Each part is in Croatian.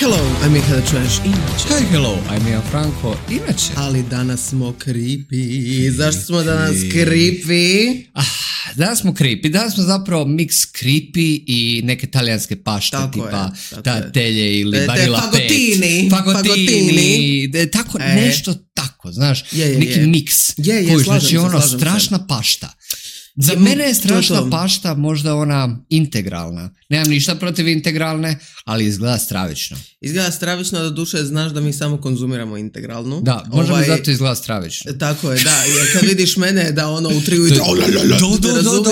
hello, I'm Miha da čuješ inače. Hi, hello, I'm Ian Franko, inače. Ali danas smo creepy. Zašto smo danas creepy? Danas smo creepy, danas smo zapravo mix creepy i neke talijanske pašte, tako tipa tatelje ili barilla pet. Fagotini. Tako, nešto tako, znaš, neki mix. Znači strašna pašta. Za mene je strašna pašta možda ona integralna. Nemam ništa protiv integralne, ali izgleda stravično. Izgleda stravično, do duše znaš da mi samo konzumiramo integralnu. Da, možda mi zato izgleda stravično. Tako je, da. Jer kad vidiš mene da ono u 3 ujutro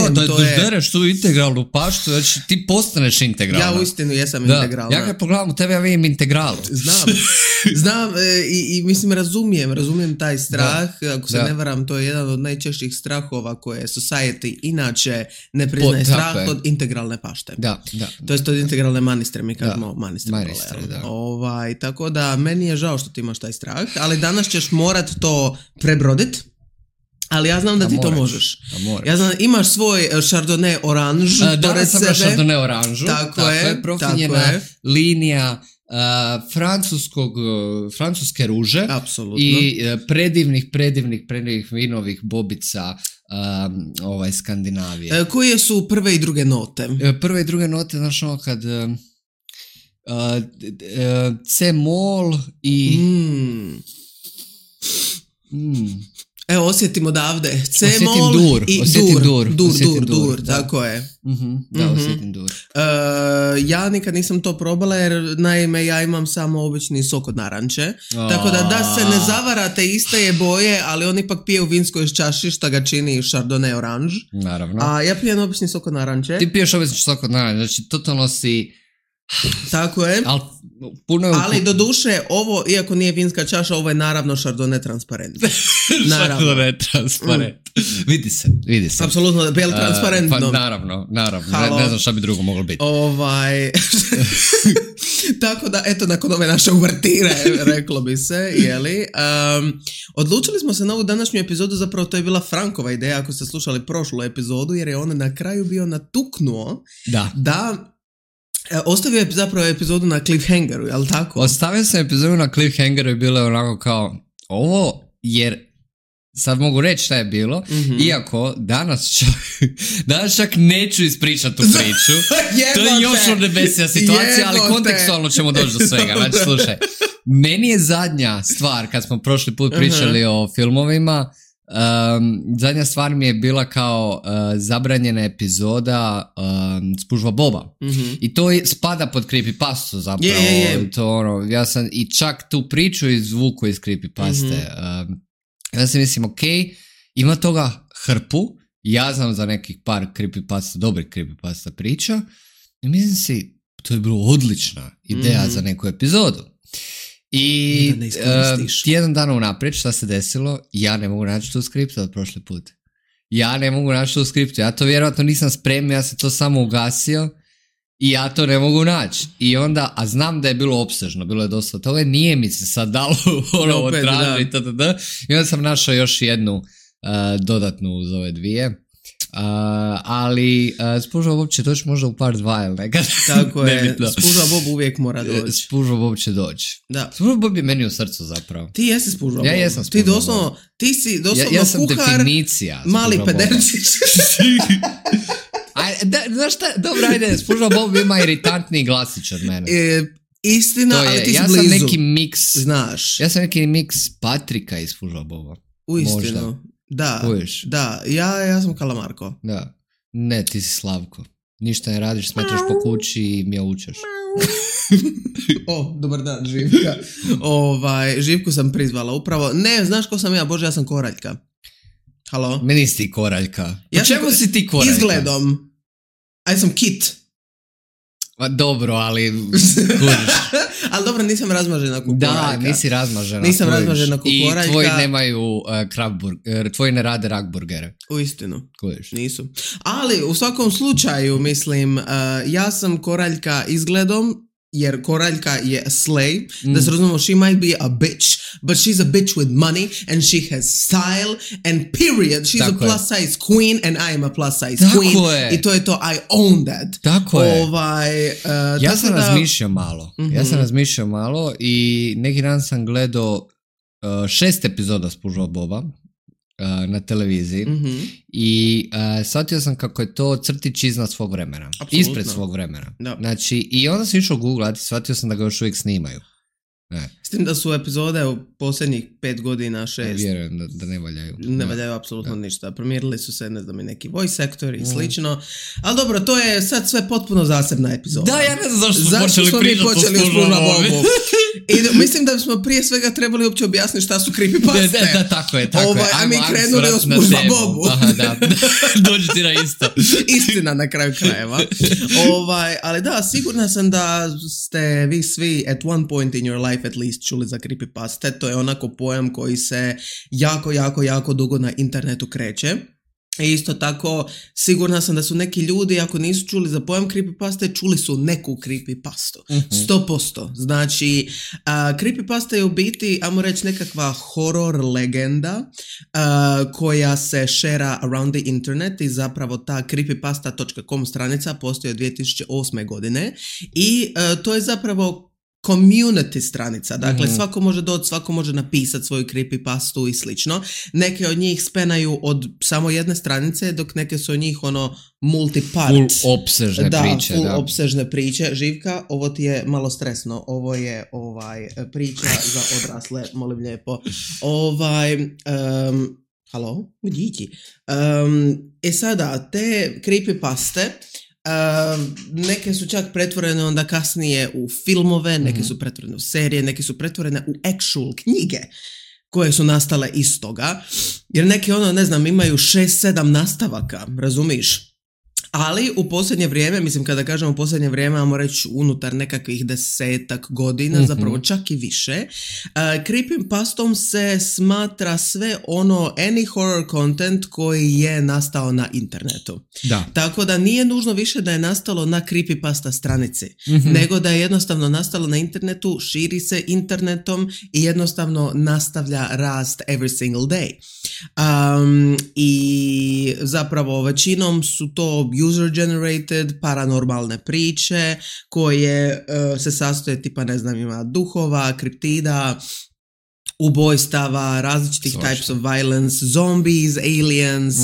da bereš tu integralnu paštu, znači ti postaneš integralna. Ja uistinu jesam integralna. Ja kad pogledam u tebe, ja vidim integralu. Znam i mislim razumijem taj strah. Ako se ne varam, to je jedan od najčešćih strahova koje society inače ne priznaje strah od integralne pašte. Da. To jest od integralne manistre, mi kažemo manistre. Tako da meni je žao što ti imaš taj strah, ali danas ćeš morat to prebrodit. Ali ja znam da ti to možeš. Ja znam, imaš svoj Chardonnay oranž. Danas sam Chardonnay oranžu. Tako je. Profinjena linija francuske ruže. Apsolutno. I predivnih vinovih bobica Skandinavije. Koje su prve i druge note? Prve i druge note, znaš ono kad C-mol i Evo, osjetim odavde. C-mol i dur, tako je. Da, osjetim dur. Ja nikad nisam to probala jer naime ja imam samo obični sok od naranče. Tako da se ne zavarate, iste je boje, ali on ipak pije u vinskoj iz čaši šta ga čini Chardonnay oranž. Naravno. A ja pijem obični sok od naranče. Ti piješ obični sok od naranče, znači totalno si... Tako je. Ali do duše ovo, iako nije vinska čaša, ovo je naravno Chardonnay transparent. Chardonnay transparent. Vidi se. Apsolutno, bel transparentno. Pa naravno. Ne znam šta bi drugo moglo biti. Tako da, eto, nakon ove naše uvertire, reklo bi se, jeli. Odlučili smo se na ovu današnju epizodu, zapravo to je bila Frankova ideja, ako ste slušali prošlu epizodu, jer je on na kraju bio natuknuo da ostavio je zapravo epizodu na cliffhangeru, jel tako? Ostavio sam epizodu na cliffhangeru i bilo je onako kao ovo, jer sad mogu reći šta je bilo, iako danas čak neću ispričati tu priču. To je još odnebesija situacija, ali kontekstualno ćemo doći do svega. Znači, slušaj, meni je zadnja stvar, kad smo prošli put pričali o filmovima, zadnja stvar mi je bila kao zabranjena epizoda Spužva Boba. I to spada pod creepypastu zapravo. To, ja sam i čak tu priču izvuku iz creepypaste. Ja sam mislim, ok, ima toga hrpu, ja znam za nekih par creepypasta, dobrih creepypasta priča, i mislim si, to je bilo odlična ideja za neku epizodu. I tjedan dana unaprijed šta se desilo, ja ne mogu naći tu skriptu od prošle put. Ja to vjerojatno nisam spremio, ja sam to samo ugasio i ja to ne mogu naći. I onda, a znam da je bilo opsežno, bilo je dosta toga, nije mi se sad dalo tražiti, i onda sam našao još jednu dodatnu uz ove dvije. Ali Spužva Bob će doći možda u part 2 ili nekad. Tako je, Spužva Bob uvijek mora doći. Spužva Bob će doći. Spužva Bob je meni u srcu zapravo. Ti jesi Spužva Bob. Ja jesam Spužva Bob. Ti si doslovno ja sam kuhar, definicija mali pederčić. Znaš šta, dobro, ajde, Spužva Bob ima iritantni glasić od mene. Istina, ali ti si blizu. Ja sam neki miks. Znaš. Ja sam neki miks Patrika iz Spužva Boba. Uistinu. Da, ja sam Kalamarko. Da. Ne, ti si Slavko. Ništa ne radiš, smetaš po kući i mjaučaš. Dobar dan, Živka. Živku sam prizvala upravo. Ne, znaš ko sam ja? Bože, ja sam Koraljka. Halo? Meni si ti Koraljka. Po čemu si ti Koraljka? Izgledom. Ja sam Kit. Dobro, ali ali dobro, nisam razmažena ko Koraljka. Da, nisi razmažena. Nisam razmažena ko Koraljka. I tvoji nemaju tvoji ne rade rakburgere. Uistinu. Nisu. Ali u svakom slučaju, mislim, ja sam Koraljka izgledom, jer koraljka je slay, da se razumemo, she might be a bitch, but she's a bitch with money and she has style and period. She's a plus size queen and I am a plus size queen. I to je to, I own that. Tako je. Ja sam razmišljao malo i neki dan sam gledao 6 epizoda Spužva Boba na televiziji i shvatio sam kako je to crtić iznad svog vremena. Absolutno. Ispred svog vremena. Da. Znači, i onda sam išao googlati i shvatio sam da ga još uvijek snimaju. S tim da su epizode u posljednjih 5 godina, 6. Vjerujem da ne valjaju. Ne valjaju apsolutno ništa. Promijenili su se, ne znam, i neki voice actor i slično. Ali dobro, to je sad sve potpuno zasebna epizoda. Da, ja ne znam zašto smo počeli Spužva Bobu. I mislim da smo prije svega trebali uopće objasniti šta su creepypaste. Da, tako je. A mi krenuli o Spužva Bobu. Aha, da. Dođi ti na isto. Istina na kraju krajeva. Ali da, sigurna sam da ste vi svi at one point in your life at least čuli za creepypaste. To je onako pojam koji se jako dugo na internetu kreće. I isto tako, sigurna sam da su neki ljudi, ako nisu čuli za pojam creepypaste, čuli su neku creepypastu. 100%. Znači, creepypasta je u biti, ajmo reći, nekakva horror legenda koja se šera around the internet i zapravo ta creepypasta.com stranica postoji od 2008. godine i to je zapravo community stranica, dakle svako može doći, svako može napisati svoju creepypastu i slično. Neke od njih spenaju od samo jedne stranice, dok neke su od njih multipart. Full opsežne priče. Full opsežne priče. Živka, ovo ti je malo stresno. Ovo je priča za odrasle, molim lijepo. Halo? Gdje? Sada, te creepypaste neke su čak pretvorene onda kasnije u filmove, neke su pretvorene u serije, neke su pretvorene u actual knjige koje su nastale iz toga, jer neke imaju 6-7 nastavaka, razumiš? Ali u posljednje vrijeme, mislim kada kažemo u posljednje vrijeme, ajmo reći unutar nekakvih 10 godina, zapravo čak i više, creepypastom se smatra sve any horror content koji je nastao na internetu. Da. Tako da nije nužno više da je nastalo na creepypasta stranici, nego da je jednostavno nastalo na internetu, širi se internetom i jednostavno nastavlja rast every single day. I zapravo većinom su to user-generated, paranormalne priče koje se sastoje tipa, ima duhova, kriptida, ubojstava, različitih types of violence, zombies, aliens,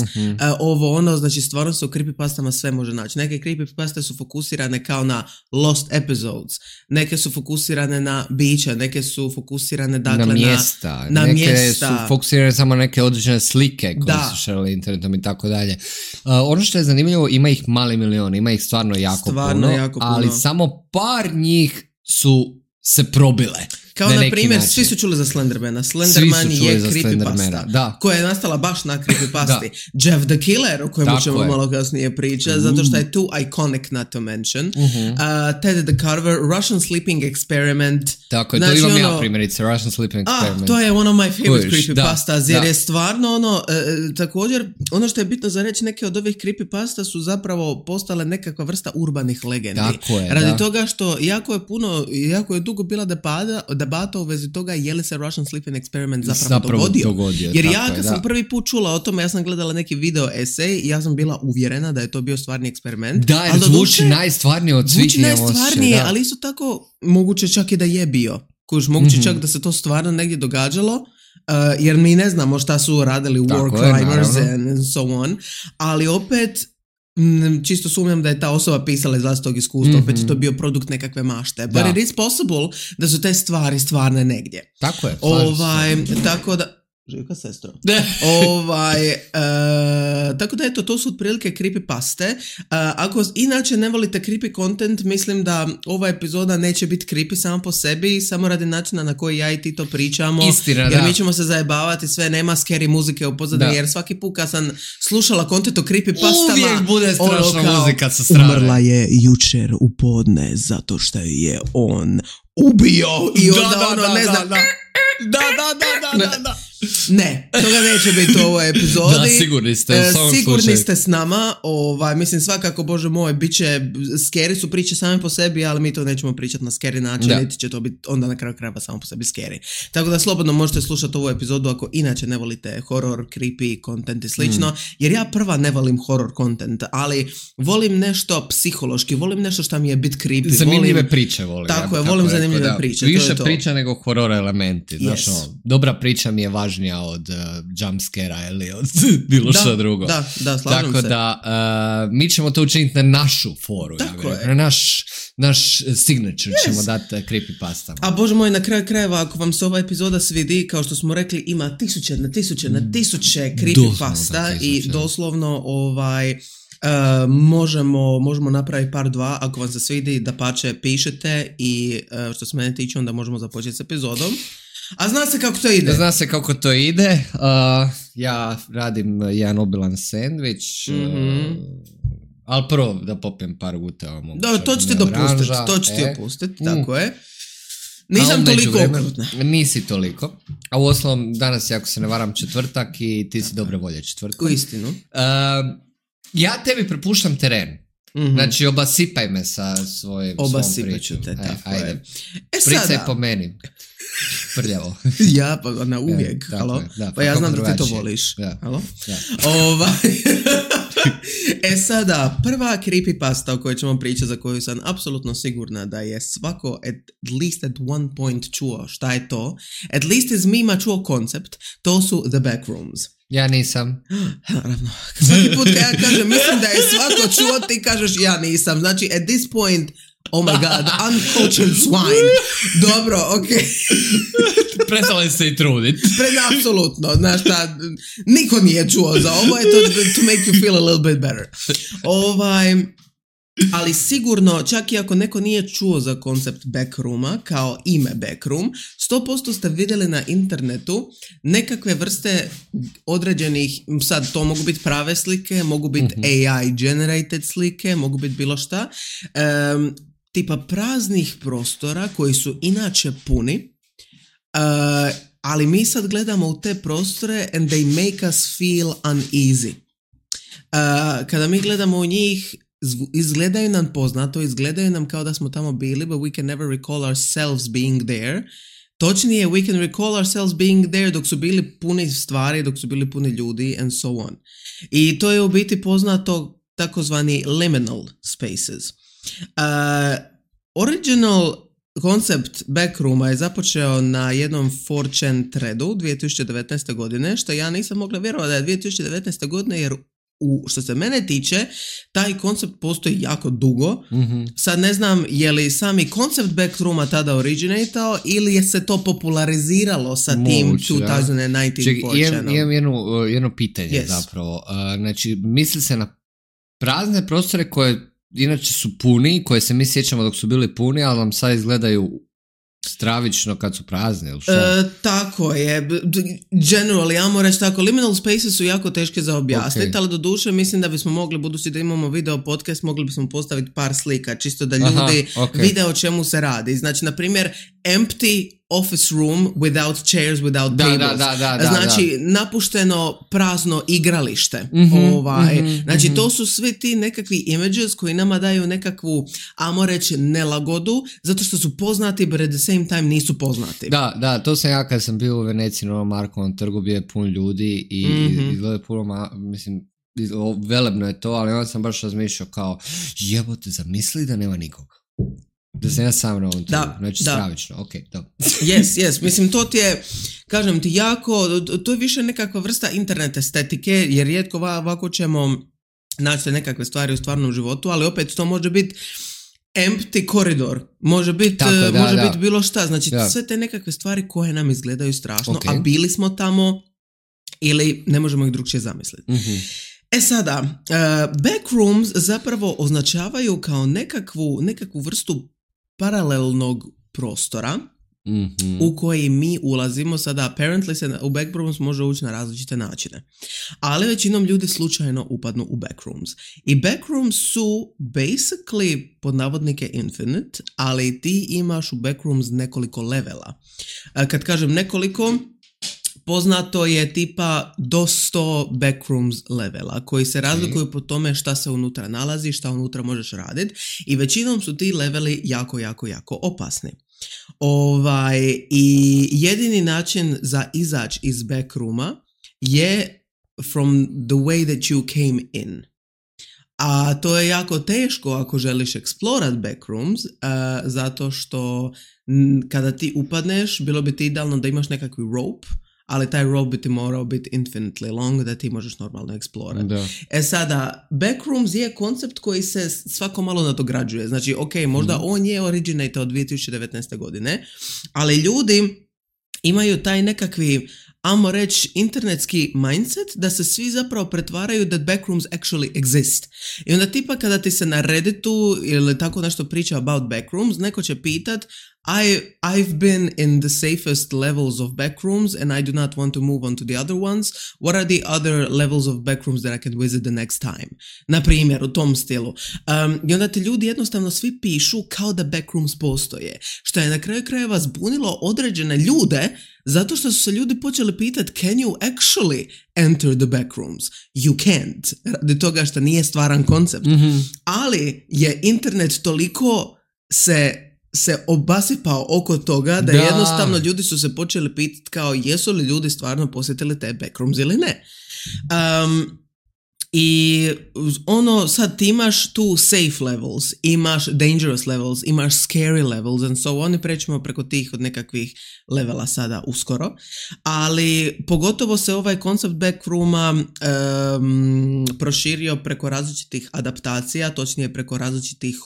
znači stvarno se u creepypastama sve može naći. Neke creepypaste su fokusirane kao na lost episodes, neke su fokusirane na bića, neke su fokusirane dakle na mjesta, neke su fokusirane samo neke određene slike koje su šerali internetom i tako dalje. Ono što je zanimljivo, ima ih mali milion, ima ih stvarno jako puno, ali samo par njih su se probile. Kao na primjer, svi su čuli za Slendermana. Slenderman je creepypasta koja je nastala baš na creepypasti. Jeff the Killer, o kojemu ćemo malo kasnije pričati, zato što je too iconic not to mention. Ted the Carver, Russian Sleeping Experiment. Tako je, to imam ja primjerice, Russian Sleeping Experiment. To je one of my favorite creepypastas, jer je stvarno također, ono što je bitno za reći, neke od ovih creepypasta su zapravo postale nekakva vrsta urbanih legendi. Tako je, radi toga što jako je dugo bila debata u vezi toga je li se Russian Sleeping Experiment zapravo dogodio. Jer ja kad sam prvi put čula o tome, ja sam gledala neki video esej i ja sam bila uvjerena da je to bio stvarni eksperiment. Da, jer zvuči najstvarnije od svih. Zvuči najstvarnije, ali isto tako moguće čak i da je bio. Moguće čak da se to stvarno negdje događalo, jer mi ne znamo šta su radili War Crimes and so on, ali opet čisto sumnjam da je ta osoba pisala iz vlastitog iskustva, opet je to bio produkt nekakve mašte. But it is possible da su te stvari stvarne negdje. Tako je. Tako da... Živka, sestro. Tako da eto, to su otprilike creepypaste. Ako inače ne volite creepy content, mislim da ova epizoda neće biti creepy samo po sebi, samo radi načina na koji ja i ti to pričamo. Istina, jer mi ćemo se zajebavati, sve nema scary muzike u pozadini, jer svaki put kad sam slušala content o creepypastama, uvijek bude strašna muzika sa strane. Umrla je jučer u podne zato što je on ubio i onda ne znam. Da. Ne, toga neće biti u ovoj epizodi. Da, sigurni ste. Sigurni ste s nama. Mislim, svakako, Bože moj, bit će, scary su priče same po sebi, ali mi to nećemo pričati na scary način, niti će to biti onda na kraju krajeva samo po sebi scary. Tako da slobodno možete slušati ovu epizodu ako inače ne volite horror, creepy content i slično, jer ja prva ne volim horror content, ali volim nešto psihološki, volim nešto što mi je bit creepy. Zanimljive priče volim. Tako je, volim zanimljive priče. Više priča nego horror elementi. Znaš, dobra priča mi je važnija od jumpscare-a ili od bilo što drugo. Da, slažem se. Tako da, mi ćemo to učiniti na našu foru. Na naš signature ćemo dati creepypastama. A Bože moj, na kraju krajeva, ako vam se ova epizoda svidi, kao što smo rekli, ima tisuće na tisuće creepypasta i doslovno možemo napraviti par dva, ako vam se svidi, da pače pišete i što se mene tiče, onda možemo započeti s epizodom. A zna se kako to ide. Ja radim jedan obilan sendvič, ali prvo da popijem par guteva. Da, to ću ti dopustiti, tako je. Nisam toliko okrutna. Nisi toliko. A u osnovom, danas je, ako se ne varam, četvrtak i ti si dobre volje četvrtak. U istinu. Ja tebi prepuštam teren. Znači, obasipaj me sa svom pričom. Obasipat ću te, tako je. Spricaj po meni. Prljavo. Ja, pa na uvijek. Halo? Pa ja znam da ti to voliš. Halo? Sada, prva creepypasta o kojoj ćemo pričati, za koju sam apsolutno sigurna da je svako at least at one point čuo šta je to. At least iz mima čuo koncept. To su The Backrooms. Ja nisam. Naravno. Svaki put kad ja kažem, mislim da je svako čuo, ti kažeš ja nisam. Znači, at this point, oh my god, uncultured swine. Dobro, okej. Prestali se i trudit. Apsolutno, znaš šta, niko nije čuo za ovo, je to make you feel a little bit better. Ali sigurno, čak i ako neko nije čuo za koncept backrooma, kao ime backroom, 100% ste vidjeli na internetu nekakve vrste određenih, sad to mogu biti prave slike, mogu biti AI generated slike, mogu biti bilo šta, tipa praznih prostora koji su inače puni, ali mi sad gledamo u te prostore and they make us feel uneasy. Kada mi gledamo u njih, izgledaju nam poznato, izgledaju nam kao da smo tamo bili, but we can never recall ourselves being there. Točnije, we can recall ourselves being there dok su bili puni stvari, dok su bili puni ljudi and so on. I to je u biti poznato takozvani liminal spaces. Original koncept backrooma je započeo na jednom 4chan threadu 2019. godine, što ja nisam mogla vjerovati da je 2019. godine, jer što se mene tiče, taj koncept postoji jako dugo. Sad ne znam je li sami koncept backrooma tada originatao ili je se to populariziralo sa tim 2019 4chanom. Imam jedno pitanje zapravo. Znači, misli se na prazne prostore koje inače su puni, koje se mi sjećamo dok su bili puni, ali nam sad izgledaju stravično kad su prazni, ili što? Tako je. Generally, ja moram reći tako, liminal spaces su jako teške za objasniti, ali doduše mislim da bismo mogli, budući da imamo video podcast, mogli bismo postaviti par slika, čisto da ljudi vide o čemu se radi. Znači, na primjer, empty office room without chairs, without tables. Znači, napušteno prazno igralište. Znači, to su svi ti nekakvi images koji nama daju nekakvu, ajmo reći, nelagodu, zato što su poznati, but at the same time nisu poznati. Da, to sam ja kad sam bio u Veneciji na Markovom trgu, bio je pun ljudi i izgleda puno, mislim, velebno je to, ali onda sam baš razmišljao kao, jebote, zamisli da nema nikoga. Da sam ja sam na ovom trgu, znači stravično, da. Yes, mislim to ti je, kažem ti, jako, to je više nekakva vrsta internet estetike, jer rijetko ovako ćemo naći nekakve stvari u stvarnom životu, ali opet to može biti empty koridor, može biti biti bilo šta, znači sve te nekakve stvari koje nam izgledaju strašno, a bili smo tamo ili ne možemo ih drugčije zamisliti. Sada, backrooms zapravo označavaju kao nekakvu vrstu paralelnog prostora u koji mi ulazimo. Sada, apparently se u backrooms može ući na različite načine. Ali većinom ljudi slučajno upadnu u backrooms. I backrooms su basically, pod navodnike, infinite, ali ti imaš u backrooms nekoliko levela. Kad kažem nekoliko, poznato je tipa do 100 backrooms levela koji se razlikuju po tome šta se unutra nalazi, šta unutra možeš raditi i većinom su ti leveli jako, jako, jako opasni. I jedini način za izaći iz backrooma je from the way that you came in. A to je jako teško ako želiš explorat backrooms, zato što kada ti upadneš, bilo bi ti idealno da imaš nekakvi rope, ali taj rope bi ti morao biti infinitely long da ti možeš normalno eksplorat. Sada, backrooms je koncept koji se svako malo nadograđuje. Znači, ok, možda on je originate od 2019. godine, ali ljudi imaju taj nekakvi, ajmo reći, internetski mindset da se svi zapravo pretvaraju that backrooms actually exist. I onda tipa kada ti se na Redditu ili tako nešto priča about backrooms, neko će pitat I've been in the safest levels of backrooms and I do not want to move on to the other ones. What are the other levels of backrooms that I can visit the next time? Na primjer, u tom stilu. I onda ti ljudi jednostavno svi pišu kao da backrooms postoje. Što je na kraju krajeva zbunilo određene ljude zato što su se ljudi počeli pitati can you actually enter the backrooms? You can't. Radi toga što nije stvaran koncept. Ali je internet toliko se obasipao oko toga da jednostavno ljudi su se počeli pitati kao jesu li ljudi stvarno posjetili te backrooms ili ne. I sad ti imaš tu safe levels, imaš dangerous levels, imaš scary levels and so on, i prećemo preko tih od nekakvih levela sada uskoro, ali pogotovo se ovaj koncept backrooma proširio preko različitih adaptacija, točnije preko različitih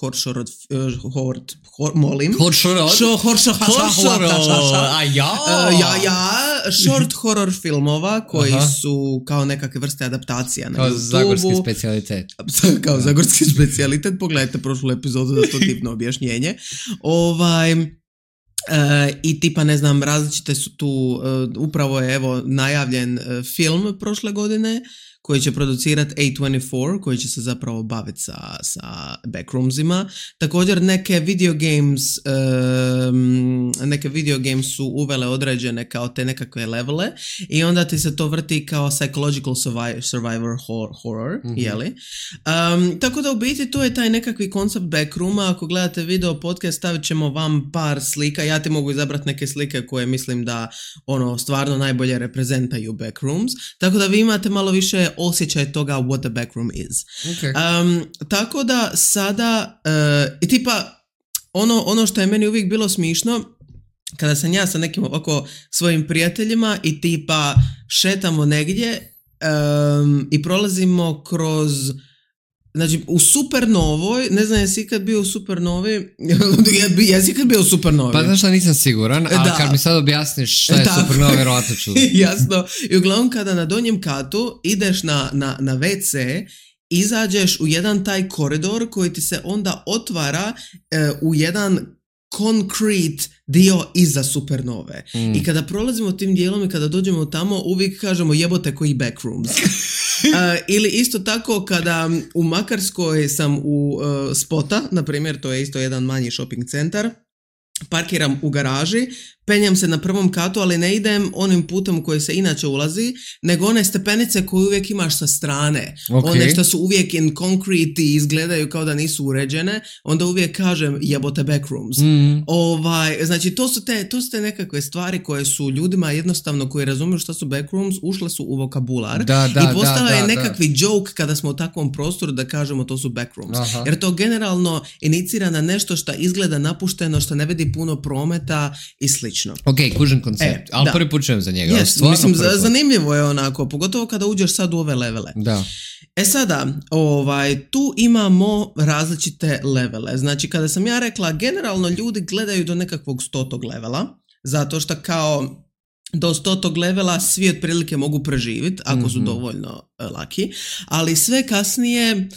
short horror filmova koji su kao nekakve vrste adaptacija na YouTubeu. Zagorski specijalitet. Kao zagorski specijalitet, pogledajte prošlu epizodu za to divno objašnjenje. I tipa, ne znam, različite su tu, upravo je evo najavljen film prošle godine koji će producirati A24, koji će se zapravo baviti sa backroomsima. Također neke video games su uvele određene kao te nekakve levele i onda ti se to vrti kao psychological survivor horror, jeli? Tako da u biti to je taj nekakvi koncept backrooma. Ako gledate video podcast, stavit ćemo vam par slika. Ja ti mogu izabrati neke slike koje mislim da stvarno najbolje reprezentaju backrooms. Tako da vi imate malo više osjećaj toga what the backroom is. Tako da sada i tipa ono što je meni uvijek bilo smišno kada sam ja sa nekim ovako svojim prijateljima i tipa šetamo negdje i prolazimo kroz, znači u Supernovoj, ne znam jesi ikad bio u Supernovi, jesi ikad bio u Supernovi? Pa znaš šta, nisam siguran, ali kad mi sad objasniš šta je Supernova, vjerovatno ću. Jasno, i uglavnom kada na donjem katu ideš na WC, izađeš u jedan taj koridor koji ti se onda otvara u jedan concrete dio iza Supernove. I kada prolazimo tim dijelom i kada dođemo tamo, uvijek kažemo jebote koji backrooms. Ili isto tako kada u Makarskoj sam u Spota, na primjer, to je isto jedan manji shopping centar, parkiram u garaži, penjam se na prvom katu, ali ne idem onim putem u koji se inače ulazi, nego one stepenice koje uvijek imaš sa strane. One što su uvijek in concrete i izgledaju kao da nisu uređene, onda uvijek kažem jebote backrooms. Znači to su te nekakve stvari koje su ljudima jednostavno koji razumiju što su backrooms, ušle su u vokabular i postala je nekakvi joke kada smo u takvom prostoru da kažemo to su backrooms. Jer to generalno inicira na nešto što izgleda napušteno, što ne vidi puno prometa i slično. Ok, kužan koncept, ali prvi put čujem za njega. Mislim, zanimljivo je onako, pogotovo kada uđeš sad u ove levele. Sada, tu imamo različite levele. Znači, kada sam ja rekla, generalno ljudi gledaju do nekakvog 100. levela, zato što kao do 100. levela svi otprilike mogu preživjeti, ako su dovoljno laki, ali sve kasnije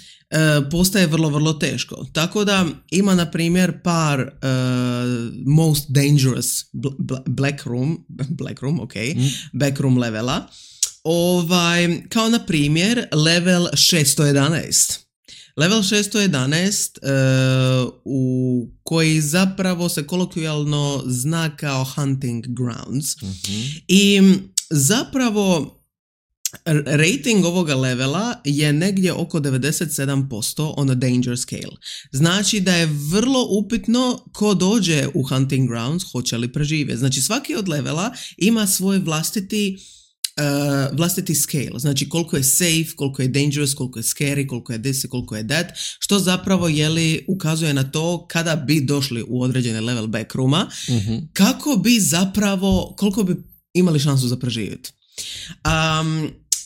postaje vrlo, vrlo teško. Tako da ima, na primjer, par most dangerous backroom levela. Kao na primjer level 611. Level 611 u koji zapravo se kolokvijalno zna kao hunting grounds. I zapravo rating ovoga levela je negdje oko 97% on a danger scale. Znači da je vrlo upitno ko dođe u Hunting Grounds hoće li preživjeti. Znači svaki od levela ima svoj vlastiti scale, znači koliko je safe, koliko je dangerous, koliko je scary, koliko je this, koliko je that, što zapravo ukazuje na to kada bi došli u određene level backrooma, kako bi zapravo, koliko bi imali šansu za preživjeti.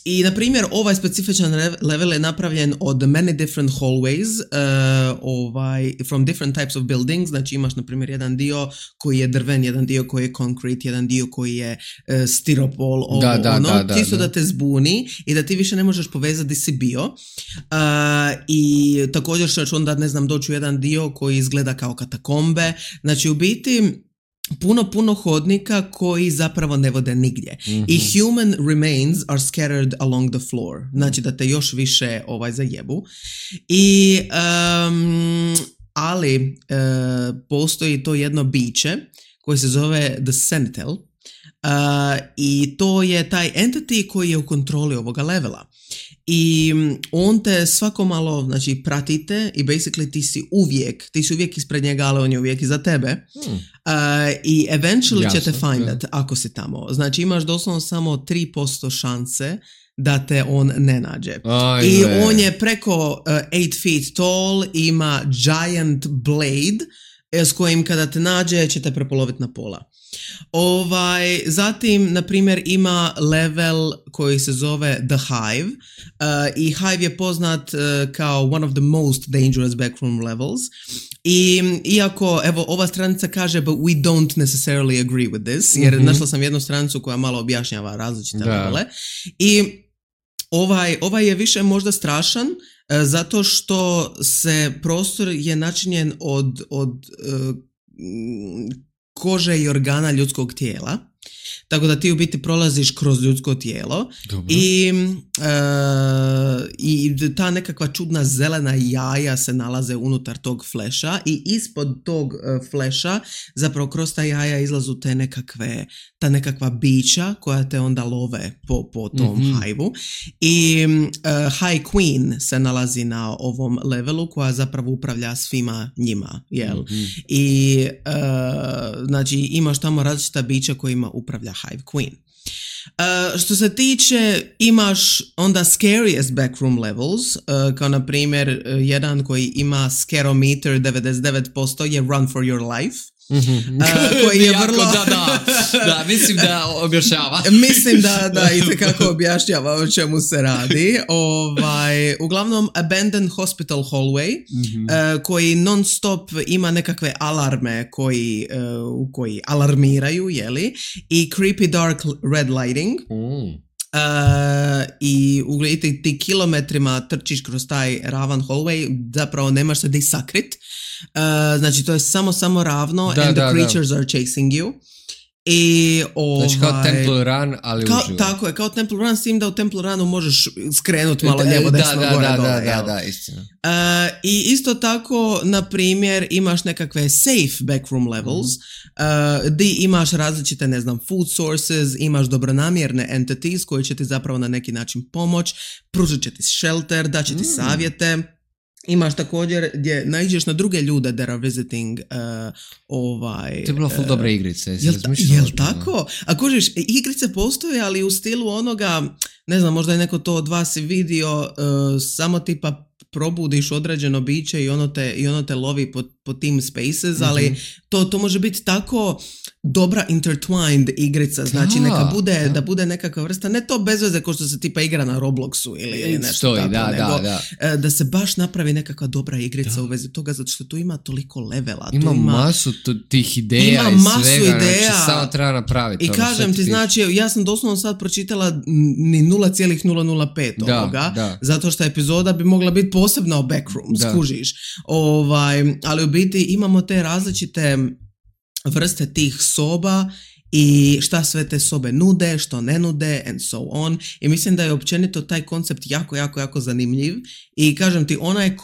I, na primjer, ovaj specifičan level je napravljen od many different hallways from different types of buildings. Znači imaš, na primjer, jedan dio koji je drven, jedan dio koji je concrete, jedan dio koji je stiropol, čisto da te zbuni i da ti više ne možeš povezati di si bio. I također ćeš onda, ne znam, doći u jedan dio koji izgleda kao katakombe. Znači, u biti puno hodnika koji zapravo ne vode nigdje. I human remains are scattered along the floor. Znači da te još više zajebu. I ali postoji to jedno biće koje se zove The Sentinel. I to je taj entity koji je u kontroli ovoga levela. I on te svako malo, znači, pratite i basically ti si uvijek ispred njega, ali on je uvijek iza tebe. I eventually će te findat ako si tamo. Znači imaš doslovno samo 3% šanse da te on ne nađe. I on je preko 8 feet tall, ima giant blade s kojim kada te nađe će te prepoloviti na pola. Zatim, na primjer, ima level koji se zove The Hive i Hive je poznat kao one of the most dangerous backroom levels. I iako, evo, ova stranica kaže but we don't necessarily agree with this, jer našla sam jednu stranicu koja malo objašnjava različite levele. I ovaj je više možda strašan zato što se prostor je načinjen od kože i organa ljudskog tijela, tako da ti u biti prolaziš kroz ljudsko tijelo. I ta nekakva čudna zelena jaja se nalaze unutar tog fleša i ispod tog fleša zapravo kroz ta jaja izlazu ta nekakva bića koja te onda love po tom hajvu. I High Queen se nalazi na ovom levelu koja zapravo upravlja svima njima. I znači imaš tamo različita bića kojima upravlja Hive Queen. Što se tiče, imaš onda scariest backroom levels, kao na primjer jedan koji ima scarometer 99% je Run for Your Life. Koji je vrlo... da, mislim da objašnjava. Mislim da itekako objašnjava o čemu se radi. Uglavnom, Abandoned Hospital Hallway, koji non stop ima nekakve alarme koji alarmiraju, jeli? I Creepy Dark Red Lighting. I ugledajte, ti kilometrima trčiš kroz taj ravan hallway, zapravo nemaš se di sakrit. Znači to je samo ravno and the creatures are chasing you. I znači kao Temple Run, ali uživo. Tako je, kao Temple Run, s tim da u Temple Runu možeš skrenuti malo lijevo, desno, gore, dole. Da, istina. I isto tako, na primjer, imaš nekakve safe backroom levels, di imaš različite, ne znam, food sources, imaš dobronamjerne entities koji će ti zapravo na neki način pomoć, pružit će ti shelter, da će ti savjete. Imaš također gdje naiđeš na druge ljude that are visiting To je bilo full dobre igrice. Jel tako? A kužiš, igrice postoje, ali u stilu onoga, ne znam, možda je neko to od vas vidio, samo tipa probudiš određeno biće i ono te lovi po tim spaces, ali to može biti tako dobra intertwined igrica, znači da bude nekakva vrsta, ne to bez veze kao što se tipa igra na Robloxu ili nešto tako, da se baš napravi nekakva dobra igrica u vezi toga, zato što tu ima toliko levela. Ima masu tih ideja i svega, znači samo treba napraviti. I kažem ti, znači, ja sam doslovno sad pročitala ni 0,005 ovoga, zato što epizoda bi mogla biti posebna o backroom, skužiš. Ali u biti imamo te različite vrste tih soba i šta sve te sobe nude, što ne nude and so on. I mislim da je općenito taj koncept jako zanimljiv i kažem ti, onaj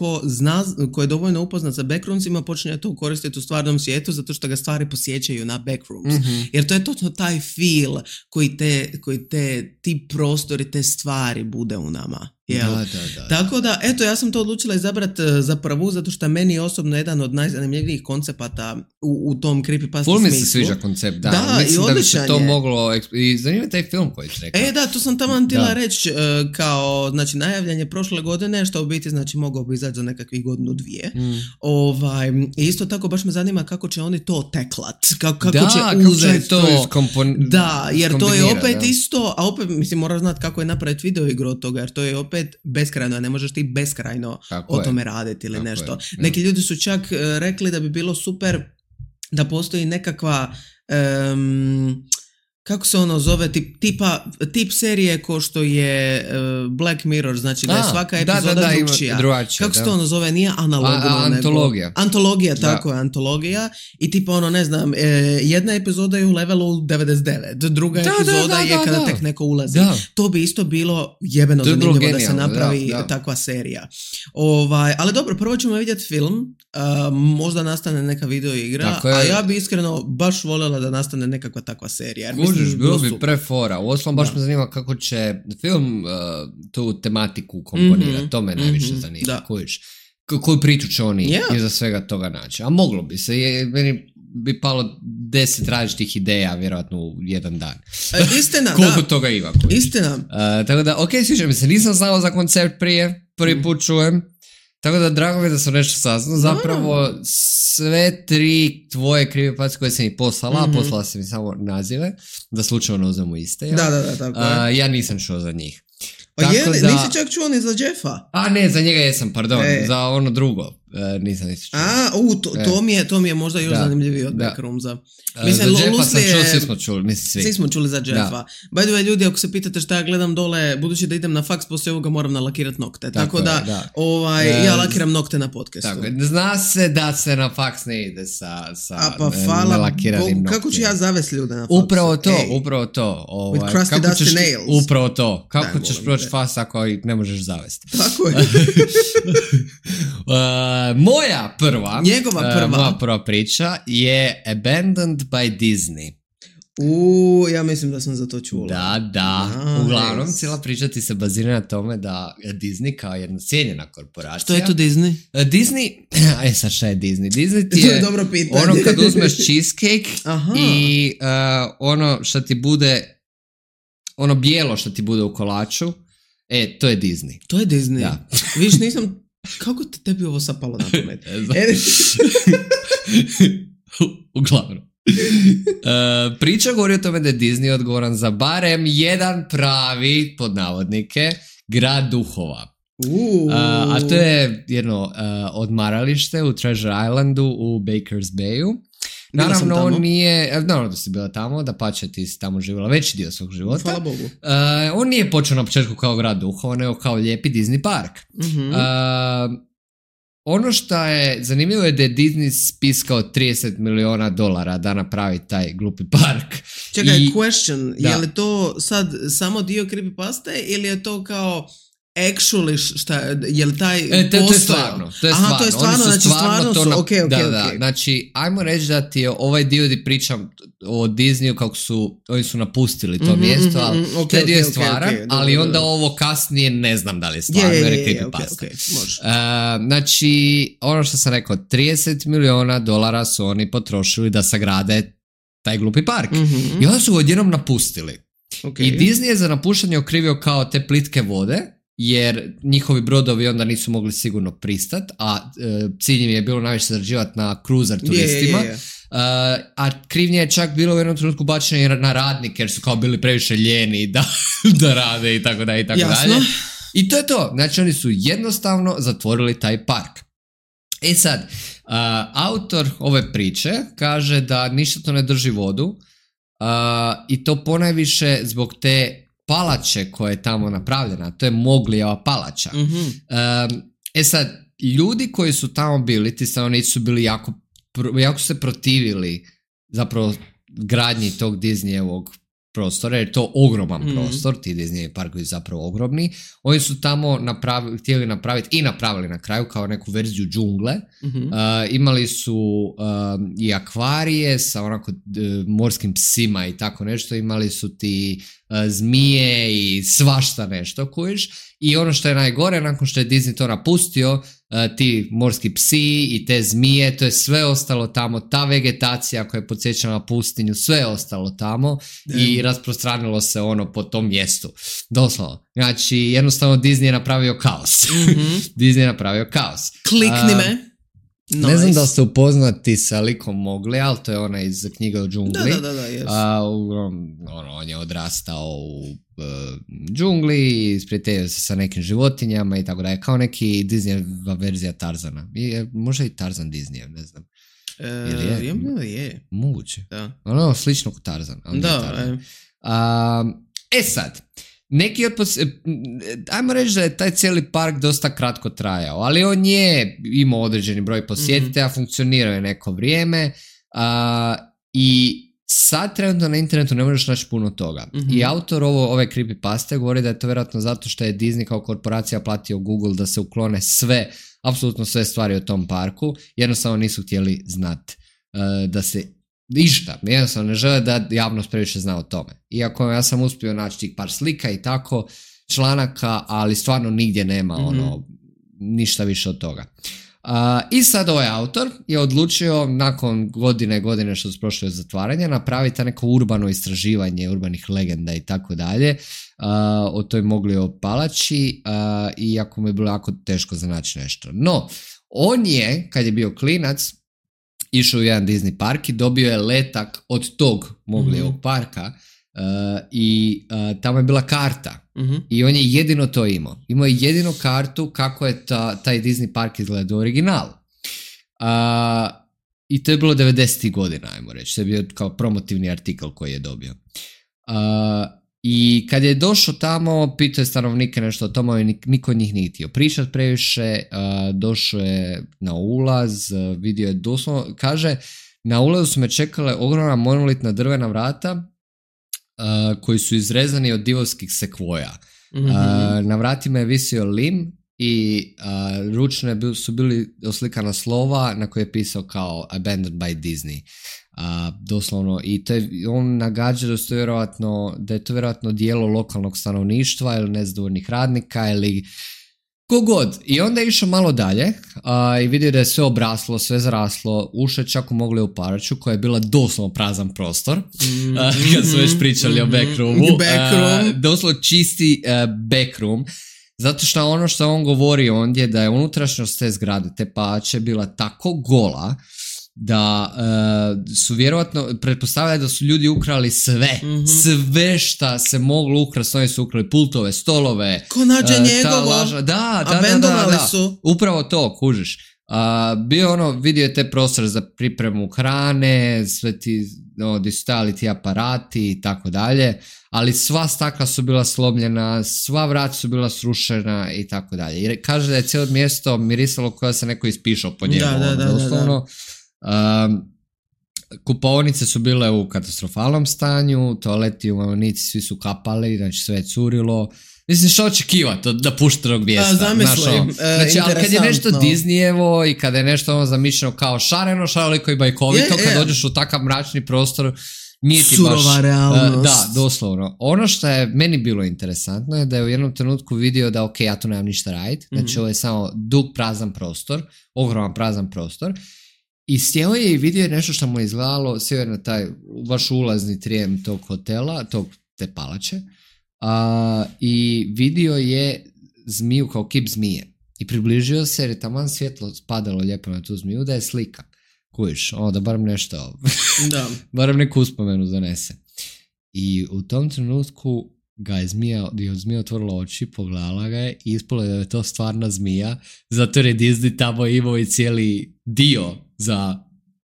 ko je dovoljno upoznat sa backroomsima počinje to koristiti u stvarnom svijetu zato što ga stvari posjećaju na backrooms. Jer to je točno taj feel koji ti prostori, te stvari bude u nama. Da. Tako da, eto, ja sam to odlučila izabrati za prvu, zato što meni je osobno jedan od najzanimljivijih koncepata u tom creepypasta smislu. Mi se sviđa koncept, da. Mislim da bi se to moglo... I zanima taj film koji ti rekao. Da, to sam tamo htjela reći, kao, znači, najavljanje prošle godine, što u biti, znači, mogao bi izaći za nekakvih godinu, dvije. I isto tako, baš me zanima kako će oni to teklat. Kako će uzeti to. Da, jer to je opet isto, a opet, mislim, moraš znati kako je napraviti video igru od toga, jer to je opet beskrajno, ne možeš ti beskrajno o tome raditi ili nešto. Neki ljudi su čak rekli da bi bilo super da postoji nekakva kako se ono zove, tip serije ko što je Black Mirror, znači da je svaka epizoda drugčija. Kako se to ono zove, nije analogno. Antologija. Antologija, tako je, antologija. I tipa ono, ne znam, jedna epizoda je u levelu 99, druga epizoda je kada tek neko ulazi. To bi isto bilo jebeno zanimljivo da se napravi takva serija. Ali dobro, prvo ćemo vidjeti film, možda nastane neka video igra, a ja bi iskreno baš voljela da nastane nekakva takva serija. Bilo bi prefora. Uostalom baš me zanima kako će film tu tematiku komponirati. To me najviše zanima. Koju priču će oni iza svega toga naći. A moglo bi se. Meni bi palo 10 različitih ideja vjerojatno u jedan dan. Istina, koliko toga ima. Istina. Tako da, sviđa mi se. Nisam znao za koncept prije. Prvi put čujem. Tako da drago mi da sam nešto saznao. Zapravo sve 3 tvoje creepypaste koje sam ih poslala sam mi samo nazive, da slučajno uzmemo iste. Ja? Da, tako je. Ja nisam čuo za njih. Nisi čak čuo ni za Jeffa? Ne, za njega jesam, pardon. Za ono drugo nisam čuo. To mi je možda još zanimljiviji od Backroomsa. Mislim, za Jeffa sam čuo, svi smo čuli. Mislim, svi smo čuli za Jeffa. By the way, ljudi, ako se pitate šta ja gledam dole, budući da idem na faks, poslije ovoga moram nalakirati nokte. Tako da, ja lakiram nokte na podcastu. Tako, zna se da se na faks ne ide sa nalakiranim noktima. Kako ću ja zavesti ljude na faksu? Upravo to. With crusty dusty nails. Upravo to. Kako ćeš proći faks ako ih ne možeš zavesti? Tako je. Moja prva moja prva priča je Abandoned by Disney. Ja mislim da sam za to čula. Da. Uglavnom, cijela priča ti se bazira na tome da Disney kao jedna cijenjena korporacija... Što je to Disney? Disney... sad šta je Disney? Disney ti je dobro pitanje. Ono kad uzmeš cheesecake i ono što ti bude... Ono bijelo što ti bude u kolaču, to je Disney. To je Disney? Da. Viš, nisam... Kako te tebi ovo sapalo na pamet? Uglavnom. Priča govori o tome da je Disney odgovoran za barem jedan pravi, pod navodnike, grad duhova. A to je jedno odmaralište u Treasure Islandu u Baker's Bayu. Naravno, on nije, naravno da si bila tamo, da pače ti si tamo živjela veći dio svog života. Hvala Bogu. On nije počeo na početku kao grad duhova, nego kao lijepi Disney park. Ono što je zanimljivo je da je Disney spiskao $30 miliona da napravi taj glupi park. Čekaj, question, je li to sad samo dio creepypaste ili je to kao actually šta, je li taj to je stvarno. To je stvarno, znači stvarno su, ok. Znači, ajmo reći da ti je ovaj dio di pričam o Disneyu kako su, oni su napustili to mjesto, ali taj dio je stvaran, ali onda ovo kasnije ne znam da li je stvarno, jer je creepypasta. Znači, ono što sam rekao, $30 miliona su oni potrošili da sagrade taj glupi park. I onda su ga odjednom napustili. I Disney je za napuštanje okrivio kao te plitke vode, jer njihovi brodovi onda nisu mogli sigurno pristat, a cilj im je bilo najviše zarađivati na cruiser turistima. A krivnje je čak bilo u jednom trenutku bačeno na radnike, jer su kao bili previše ljeni da rade i tako dalje. I to je to. Znači oni su jednostavno zatvorili taj park. Sad, autor ove priče kaže da ništa to ne drži vodu i to ponajviše zbog te palače koja je tamo napravljena, to je Moglijeva palača. Sad, ljudi koji su tamo bili, ti stanovnici su bili jako se protivili zapravo gradnji tog Disneyevog prostora, jer je to ogroman prostor, ti Disney parkovi su zapravo ogromni. Oni su tamo htjeli napraviti i napravili na kraju kao neku verziju džungle. Imali su i akvarije sa onako morskim psima i tako nešto. Imali su ti zmije i svašta nešto kojiš. I ono što je najgore, nakon što je Disney to napustio, ti morski psi i te zmije, to je sve ostalo tamo, ta vegetacija koja je podsjećala na pustinju, sve je ostalo tamo i rasprostranilo se ono po tom mjestu. Doslovno. Znači, jednostavno Disney je napravio kaos. Disney je napravio kaos. Klikni me. Nice. Ne znam da ste upoznati sa likom Mowgli, ali to je ona iz knjige o džungli. Da, yes. On je odrastao u džungli, isprijateljio se sa nekim životinjama i tako da je kao neki Disneyeva verzija Tarzana. Možda i Tarzan Disneyev, ne znam. Je. Moguće. Da. Ono slično kao Tarzan. Sad, neki ajmo reći da je taj cijeli park dosta kratko trajao, ali on je imao određeni broj posjetitelja, funkcionirao je neko vrijeme i sad trenutno na internetu ne možeš naći puno toga. I autor ove creepypaste govori da je to vjerojatno zato što je Disney kao korporacija platio Google da se uklone apsolutno sve stvari o tom parku, jednostavno nisu htjeli znati da se ništa, jednostavno ne žele da javnost previše zna o tome. Iako ja sam uspio naći tih par slika i tako, članaka, ali stvarno nigdje nema ništa više od toga. I sad ovaj autor je odlučio nakon godine što su prošle od zatvaranja napraviti neko urbano istraživanje urbanih legenda i tako dalje o toj Mowgliovoj palači, iako mu je bilo jako teško za naći nešto. No, on je, kad je bio klinac, išao u jedan Disney park i dobio je letak od tog Mowgliovog parka i tamo je bila karta i on je jedino to imao. Imao je jedino kartu kako je taj Disney park izgledao u originalu. I to je bilo 90. godina, ajmo reći. To je bio kao promotivni artikl koji je dobio. I kad je došao tamo, pitao je stanovnike nešto o tome, niko od njih nije htio pričat previše, došao je na ulaz, vidio je doslovno, kaže, na ulazu su me čekale ogromna monolitna drvena vrata koji su izrezani od divovskih sekvoja. Na vratima je visio lim i ručne su bili oslikana slova na koje je pisao kao Abandoned by Disney. Doslovno, i to je, on nagađa da je to vjerojatno dijelo lokalnog stanovništva ili nezadovoljnih radnika ili kogod. I onda je išao malo dalje i vidio da je sve obraslo, sve zaraslo, ušao čak u Mowgliu palaču koja je bila doslovno prazan prostor, kad su već pričali o backroomu. Doslovno čisti backroom. Zato što ono što on govori ondje da je unutrašnjost te zgrade, te palače bila tako gola da su vjerojatno pretpostavljali da su ljudi ukrali sve šta se moglo ukrasti. Oni su ukrali pultove, stolove, ko nađe njegovo, da. Su upravo to, kužiš. Vidio je te prostor za pripremu hrane, sve ti gdje su stajali ti aparati i tako dalje, ali sva stakla su bila slomljena, sva vrata su bila srušena i tako dalje. I kaže da je cijelo mjesto mirisalo koja se neko ispišao po njemu. Doslovno. Kupaonice su bile u katastrofalnom stanju, toaleti u Mamonici svi su kapali, znači sve je curilo. Mislim, što očekivati od napuštenog mjesta? Zamislim, znači, ali kad je nešto Disneyevo i kada je nešto zamišljeno kao šareno, šaroliko i bajkovito, kad dođeš u takav mračni prostor, nije ti baš... Surova realnost. Da, doslovno. Ono što je meni bilo interesantno je da je u jednom trenutku vidio da ja tu nemam ništa raditi, znači ovo je samo dug prazan prostor, ogroman prazan prostor. I sjeo je i vidio je nešto što mu je izgledalo, sjeo je na taj vaš ulazni trijem tog hotela, te palače, i vidio je zmiju kao kip zmije. I približio se jer je taman svjetlo spadalo lijepo na tu zmiju da je slika. Kujiš, da barem nešto, barem neku uspomenu donese. I u tom trenutku je zmija otvorila oči, pogledala ga je i ispalo je da je to stvarna zmija, zato je Disney tamo imao i cijeli dio za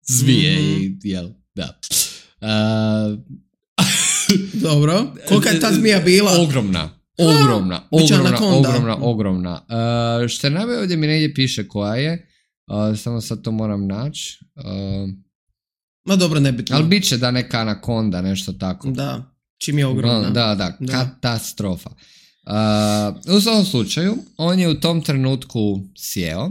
zmije i da. Dobro, kolika je ta zmija bila? Ogromna. Što je najbolje ovdje mi negdje piše koja je, samo sad to moram naći. Ma dobro, nebitno. Ali bit će da neka anakonda, nešto tako. Da, čim je ogromna. Da, katastrofa. U svom slučaju, on je u tom trenutku sjeo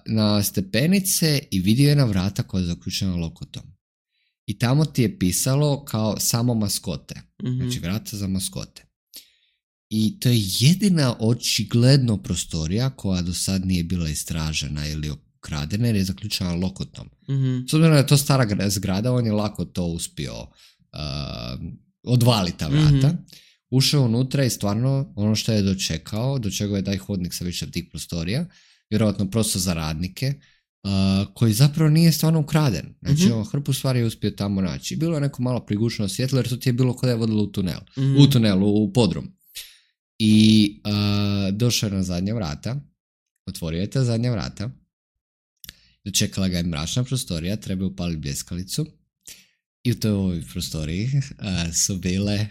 na stepenice i vidio je na vrata koja je zaključena lokotom. I tamo ti je pisalo kao samo maskote. Znači vrata za maskote. I to je jedina očigledno prostorija koja do sad nije bila istražena ili ukradena jer je zaključena lokotom. S obzirom da je to stara zgrada, on je lako to uspio odvaliti ta vrata. Ušao unutra i stvarno ono što je dočekao je taj hodnik sa više tih prostorija, vjerojatno prosto za radnike, koji zapravo nije stvarno ukraden. Znači, hrpu stvari je uspio tamo naći. Bilo je neko malo prigušeno svjetlo, jer to ti je bilo kod je vodilo u tunel. U tunelu, u podrum. I došao je na zadnja vrata, otvorio je ta zadnja vrata, dočekala ga je mračna prostorija, treba upaliti bljeskalicu i u toj prostoriji su bili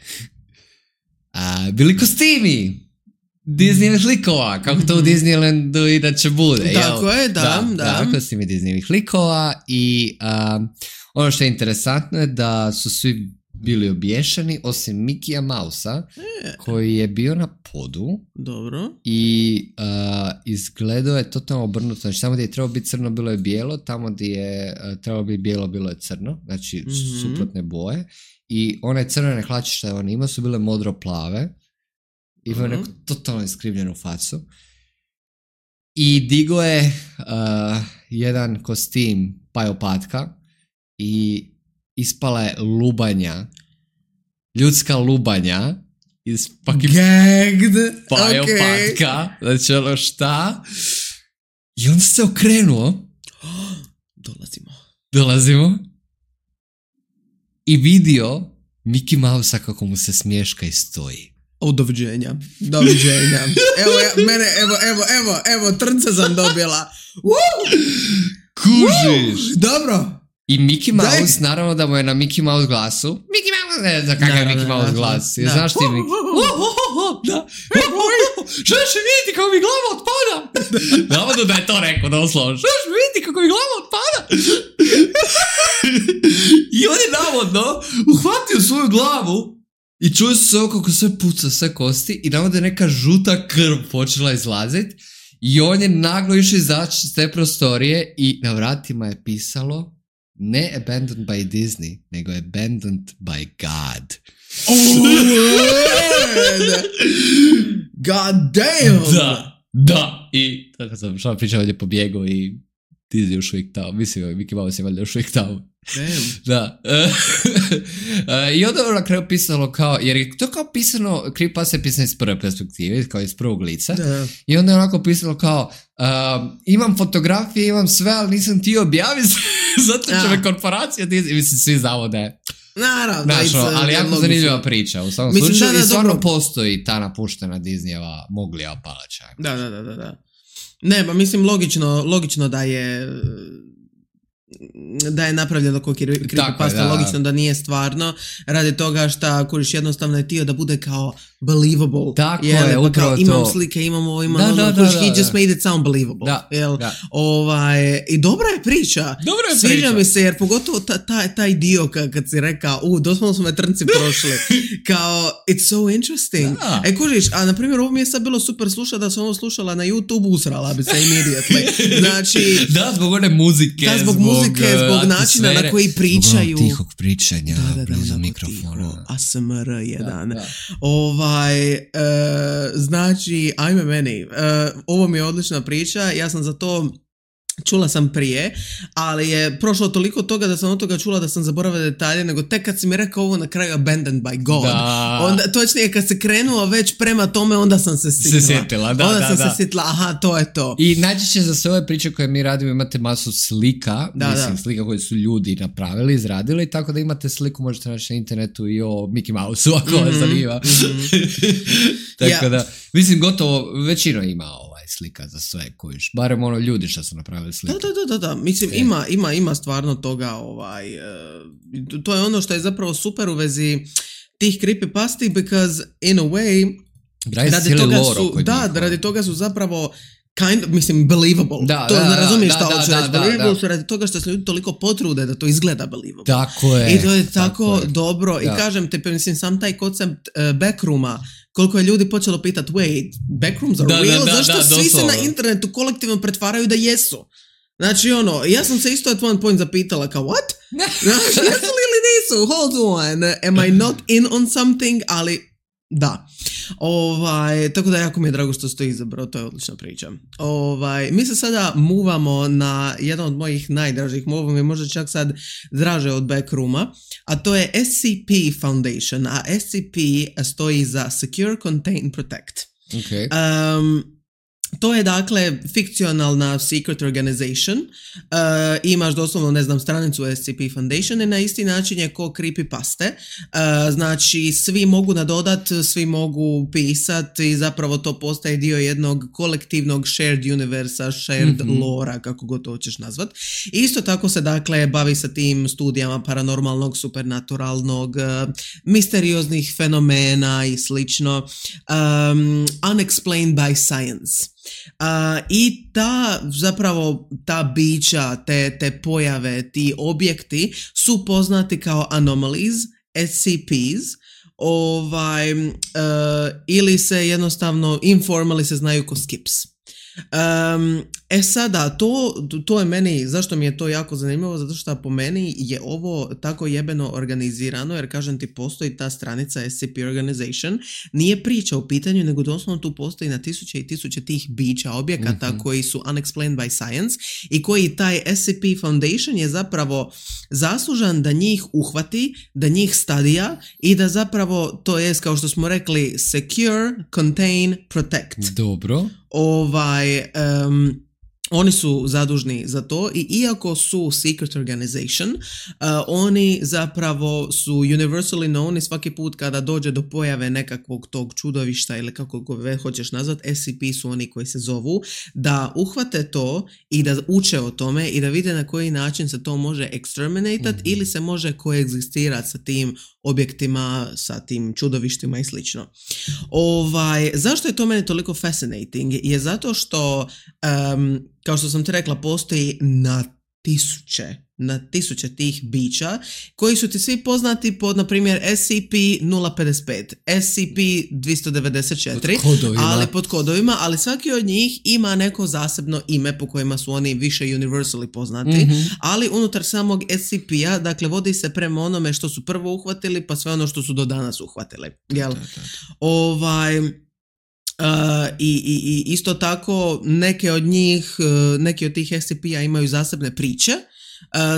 kostimi Disneyevih likova, kako to u Disneylandu inače bude. Tako je, da. Kostimi Disneyevih likova i ono što je interesantno je da su svi bili obješeni, osim Mickeyja Mousea, koji je bio na podu. Dobro. I izgledao je totalno obrnuto. Znači, tamo gdje je trebalo biti crno, bilo je bijelo, tamo gdje je trebalo biti bijelo, bilo je crno. Znači, suprotne boje. I one crvene hlače što je on imao su bile modro-plave. Imao je neku totalno iskrivljenu facu. I digo je jedan kostim pajopatka i ispala je lubanja, ljudska lubanja iz gagged pajopatka, znači ono šta, i onda se okrenuo, dolazimo i vidio Mickey Mousea kako mu se smješka i stoji. Doviđenja. Evo, trnce sam dobila. Kužiš. Dobro. I Mickey Mouse, naravno da mu je na Mickey Mouse glasu. Mickey Mouse, ne znam kakav je Mickey Mouse glas. Znaš ti Mickey? Da. Želiš mi vidjeti kako mi glava otpada? Navodno da je to rekao, da osloži. Želiš mi vidjeti kako mi glava otpada? I on je navodno uhvatio svoju glavu i čuje se kako sve puca, sve kosti i navodno je neka žuta krv počela izlaziti. I on je naglo išao izaći iz te prostorije i na vratima je pisalo ne abandoned by Disney, nego abandoned by God. God damn! Da. I tako sam što pričao ovdje pobjegao i Disney još uvijek tamo. Mislim, Mickey Mouse je valjda još uvijek tamo. Da. I onda je na kraju pisalo kao, jer je to kao pisano, Creepypasta je pisano iz prve perspektive, kao iz prvog lica. Da. I onda je onako pisalo kao, imam fotografije, imam sve, ali nisam ti objaviti, zato će me korporacija Disney, mislim, svi znamo da je. Naravno, ali jako zanimljiva priča. U samom slučaju i stvarno postoji ta napuštena Disneyjeva Moglijeva palača. Da. Ne, pa mislim logično da je napravljeno kao creepypasta, logično da nije stvarno, radi toga šta kuriš jednostavno je tio da bude kao believable. Tako je, upravo to. Imam slike, imam ovo, he just made it sound believable. I dobra je priča. Sviđa mi se, jer pogotovo taj dio kad si rekao, doslovno su me trnci prošli. Kao, it's so interesting. Kuriš, a na primjer ovo mi je sad bilo super slušati, da sam ovo slušala na YouTube, usrala bi se immediately. Znači, zbog one muzike. Zbog zbog načina na koji pričaju. Zbog tihog pričanja, blizu mikrofona. ASMR jedan. Znači, ajme meni, ovo mi je odlična priča, ja sam za to čula sam prije, ali je prošlo toliko toga da sam od toga čula da sam zaboravila detalje, nego tek kad si mi rekao ovo na kraju abandoned by God, onda, točnije kad se krenuo već prema tome, onda sam se sjetila. Se sjetila, aha, to je to. I najčešće za sve ove priče koje mi radimo imate masu slika, slika koje su ljudi napravili, izradili, tako da imate sliku, možete naći na internetu i o Mickey Mouseu, ako vas zanima. Tako da, mislim, gotovo većina ima slika za sve kojiš, barem ono ljudi što su napravili slike. Da, mislim ima stvarno toga, to je ono što je zapravo super u vezi tih creepypasti, because in a way radi toga su zapravo mislim, believable. Ne razumiješ šta hoću reći. Believable su radi toga što se ljudi toliko potrude da to izgleda believable. Tako je. I to je tako dobro. Da. I kažem te, mislim, sam taj koncept backrooma, koliko je ljudi počelo pitati, wait, backrooms are real? Zašto svi se na internetu kolektivno pretvaraju da jesu? Znači, ja sam se isto at one point zapitala kao, what? Znači, jesu li ili nisu? Hold on. Am I not in on something? Ali, da. Tako da jako mi je drago što ste izabrao, to je odlična priča. Mi se sada muvamo na jedan od mojih najdražih mova, mi možda čak sad draže od Backrooma, a to je SCP Foundation, a SCP stoji za Secure, Contain, Protect. Okay. To je dakle fikcionalna secret organization, imaš doslovno, ne znam, stranicu SCP Foundation i na isti način je ko creepypaste, znači svi mogu nadodat, svi mogu pisat i zapravo to postaje dio jednog kolektivnog shared universa, shared lora, kako god to hoćeš nazvat. Isto tako se dakle bavi sa tim studijama paranormalnog, supernaturalnog, misterioznih fenomena i slično, unexplained by science. I ta bića, te pojave, ti objekti su poznati kao anomalies, SCPs, ili se jednostavno informally se znaju ko skips. Sada, to je meni, zašto mi je to jako zanimljivo, zato što po meni je ovo tako jebeno organizirano, jer kažem ti, postoji ta stranica SCP Organization, nije priča u pitanju, nego doslovno tu postoji na tisuće i tisuće tih bića, objekata koji su unexplained by science i koji taj SCP Foundation je zapravo zaslužan da njih uhvati, da njih studija i da zapravo, to jest kao što smo rekli, secure, contain, protect. Dobro. Oni su zadužni za to i iako su secret organization, oni zapravo su universally known i svaki put kada dođe do pojave nekakvog tog čudovišta ili kako ga hoćeš nazvat, SCP su oni koji se zovu, da uhvate to i da uče o tome i da vide na koji način se to može exterminatat ili se može koegzistirati sa tim objektima, sa tim čudovištima i slično. Zašto je to meni toliko fascinating? Je zato što kao što sam ti rekla, postoji na tisuće tih bića koji su ti svi poznati pod, na primjer, SCP-055, SCP-294, ali pod kodovima, ali svaki od njih ima neko zasebno ime po kojima su oni više universally poznati, ali unutar samog SCP-a, dakle, vodi se prema onome što su prvo uhvatili, pa sve ono što su do danas uhvatili. Jel? I isto tako neki od tih SCP-a imaju zasebne priče,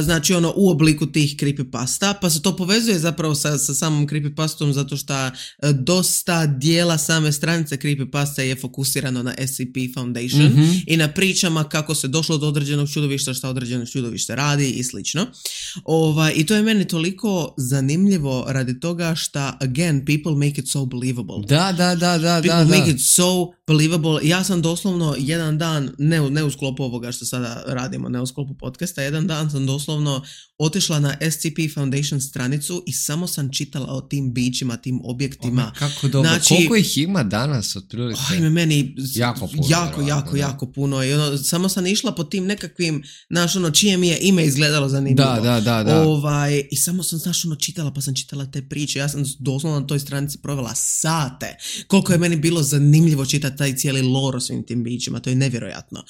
znači u obliku tih creepypasta, pa se to povezuje zapravo sa samom creepypastom zato što dosta dijela same stranice creepypasta je fokusirano na SCP Foundation i na pričama kako se došlo do određenog čudovišta, šta određeno čudovište radi i slično. I to je meni toliko zanimljivo radi toga što, again, people make it so believable. People make it so believable. Ja sam doslovno jedan dan, ne u sklopu ovoga što sada radimo, ne u sklopu podcasta, jedan dan sam doslovno otišla na SCP Foundation stranicu i samo sam čitala o tim bićima, tim objektima. Kako dobro. Znači, koliko ih ima danas otprilike? Ima meni jako puno. jako puno. I samo sam išla po tim nekakvim, čije mi je ime izgledalo zanimljivo. Da. I samo sam, čitala, pa sam čitala te priče. Ja sam doslovno na toj stranici provela sate. Koliko je meni bilo zanimljivo čitati taj cijeli lore o svim tim bićima. To je nevjerojatno.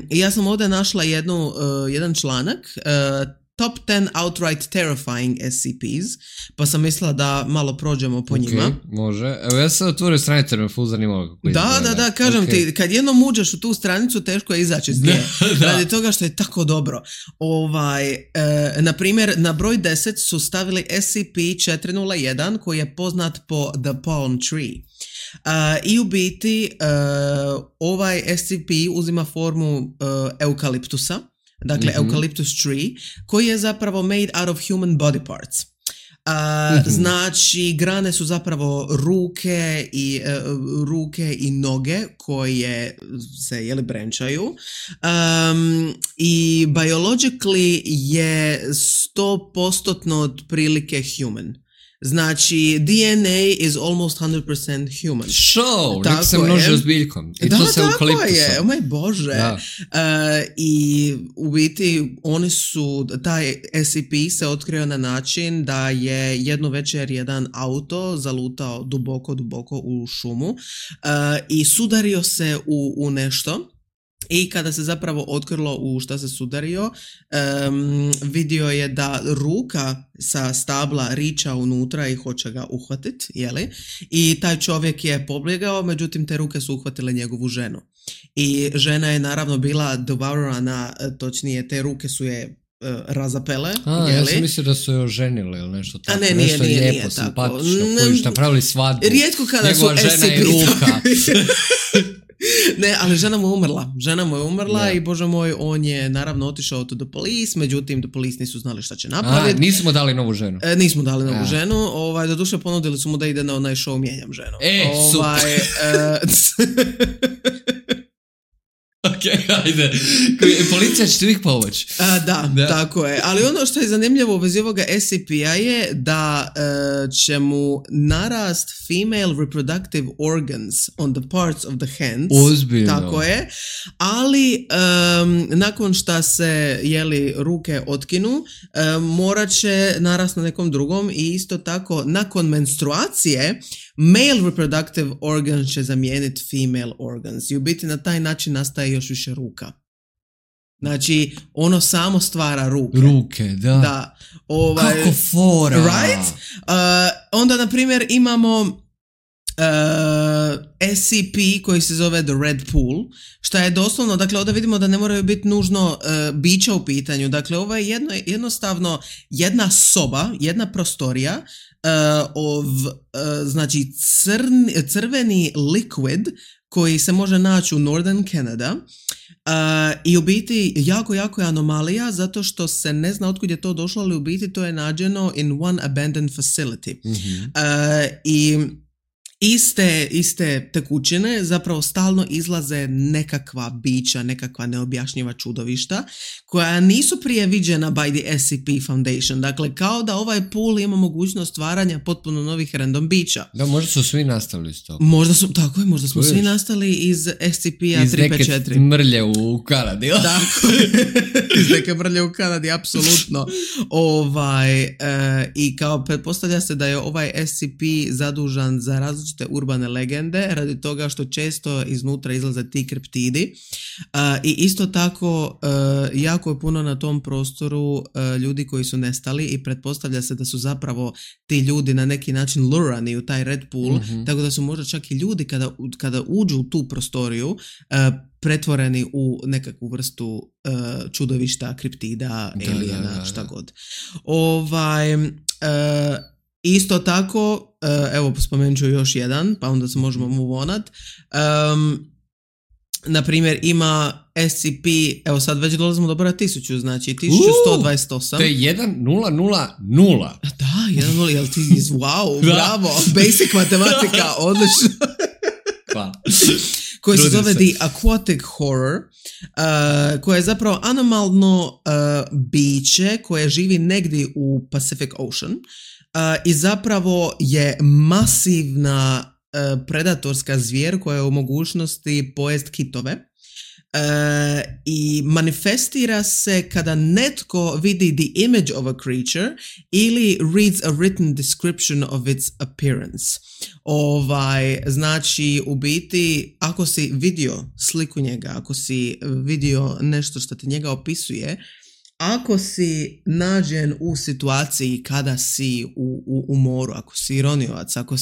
Ja sam ovdje našla jedan članak, Top 10 outright terrifying SCPs, pa sam mislila da malo prođemo po njima. Može. Evo ja sam otvorio stranicu, jer me ful zanimalo kako izgleda. Da, kažem ti, kad jednom uđeš u tu stranicu, teško je izaći iz nje. Radi toga što je tako dobro. Na primjer, na broj 10 su stavili SCP-401, koji je poznat po The Palm Tree. I u biti ovaj SCP uzima formu eukaliptusa, dakle eucalyptus tree, koji je zapravo made out of human body parts. Znači, grane su zapravo ruke i noge koje se brenčaju, i biologically je 100% otprilike human. Znači, DNA is almost 100% human. Show, nek se množi ozbiljkom. I to se tako je, o moj Bože. I u biti oni su, taj SCP se otkrio na način da je jednu večer jedan auto zalutao duboko u šumu i sudario se u nešto. I kada se zapravo otkrilo u šta se sudario, vidio je da ruka sa stabla riča unutra i hoće ga uhvatiti, jeli? I taj čovjek je pobjegao, međutim te ruke su uhvatile njegovu ženu. I žena je naravno bila devourana, točnije te ruke su je razapele. Ja sam mislio da su je oženili ili nešto tako. A ne, nešto nije lijepo, tako. simpatično, koji su napravili svadbu. Rijetko kada njegova su žena i ruka. Ne, ali žena mu je umrla i bože moj, on je naravno otišao to the police, međutim the police nisu znali šta će napraviti. Nismo mu dali novu ženu. Nismo dali novu ženu, doduše ponudili su mu da ide na onaj show Mijenjam ženu. Super. Ok, ajde. Policija će ti uvijek pomoći. Da, tako je. Ali ono što je zanimljivo u vezi ovoga SCP-a je da će mu narast female reproductive organs on the parts of the hands. Ozbiljno. Tako je. Ali nakon šta se ruke otkinu, morat će narast na nekom drugom i isto tako nakon menstruacije male reproductive organs će zamijeniti female organs. I u biti na taj način nastaje još više ruka. Znači, ono samo stvara ruke. Ruke, da. Kako fora! Right? Onda, na primjer, imamo SCP koji se zove The Red Pool, što je doslovno, dakle, ovdje vidimo da ne moraju biti nužno bića u pitanju. Dakle, ovo je jednostavno jedna soba, jedna prostorija, znači crveni liquid koji se može naći u Northern Canada i u biti jako je anomalija zato što se ne zna otkud je to došlo, ali u biti to je nađeno in one abandoned facility. I iste tekućine zapravo stalno izlaze nekakva bića, nekakva neobjašnjiva čudovišta koja nisu prije viđena by the SCP Foundation. Dakle, kao da ovaj pool ima mogućnost stvaranja potpuno novih random bića. Da, možda su svi nastali iz toga. Možda smo svi nastali iz SCP-a 354. Iz neke mrlje u Kanadi. Tako, iz neke mrlje u Kanadi, apsolutno. I kao pretpostavlja se da je ovaj SCP zadužan za različite urbane legende radi toga što često iznutra izlaze ti kriptidi i isto tako jako je puno na tom prostoru ljudi koji su nestali i pretpostavlja se da su zapravo ti ljudi na neki način lurani u taj Red Pool, tako da su možda čak i ljudi kada uđu u tu prostoriju pretvoreni u nekakvu vrstu čudovišta, kriptida, alijena, šta god. Isto tako, evo spomenut ću još jedan, pa onda se možemo move onat. Na primjer, ima SCP, evo sad već dolazimo do broja 1000, znači 1128. To je 1000. Da, 1000, jel ti wow, bravo, basic matematika, odlično. Hvala. Koji se zove The Aquatic Horror, koje je zapravo anomalno biće koje živi negdje u Pacific Ocean i zapravo je masivna predatorska zvijer koja je u mogućnosti pojest kitove. I manifestira se kada netko vidi the image of a creature ili reads a written description of its appearance. Znači, u biti, ako si vidio sliku njega, ako si vidio nešto što ti njega opisuje, ako si nađen u situaciji kada si u moru, ako si ironiovac, ako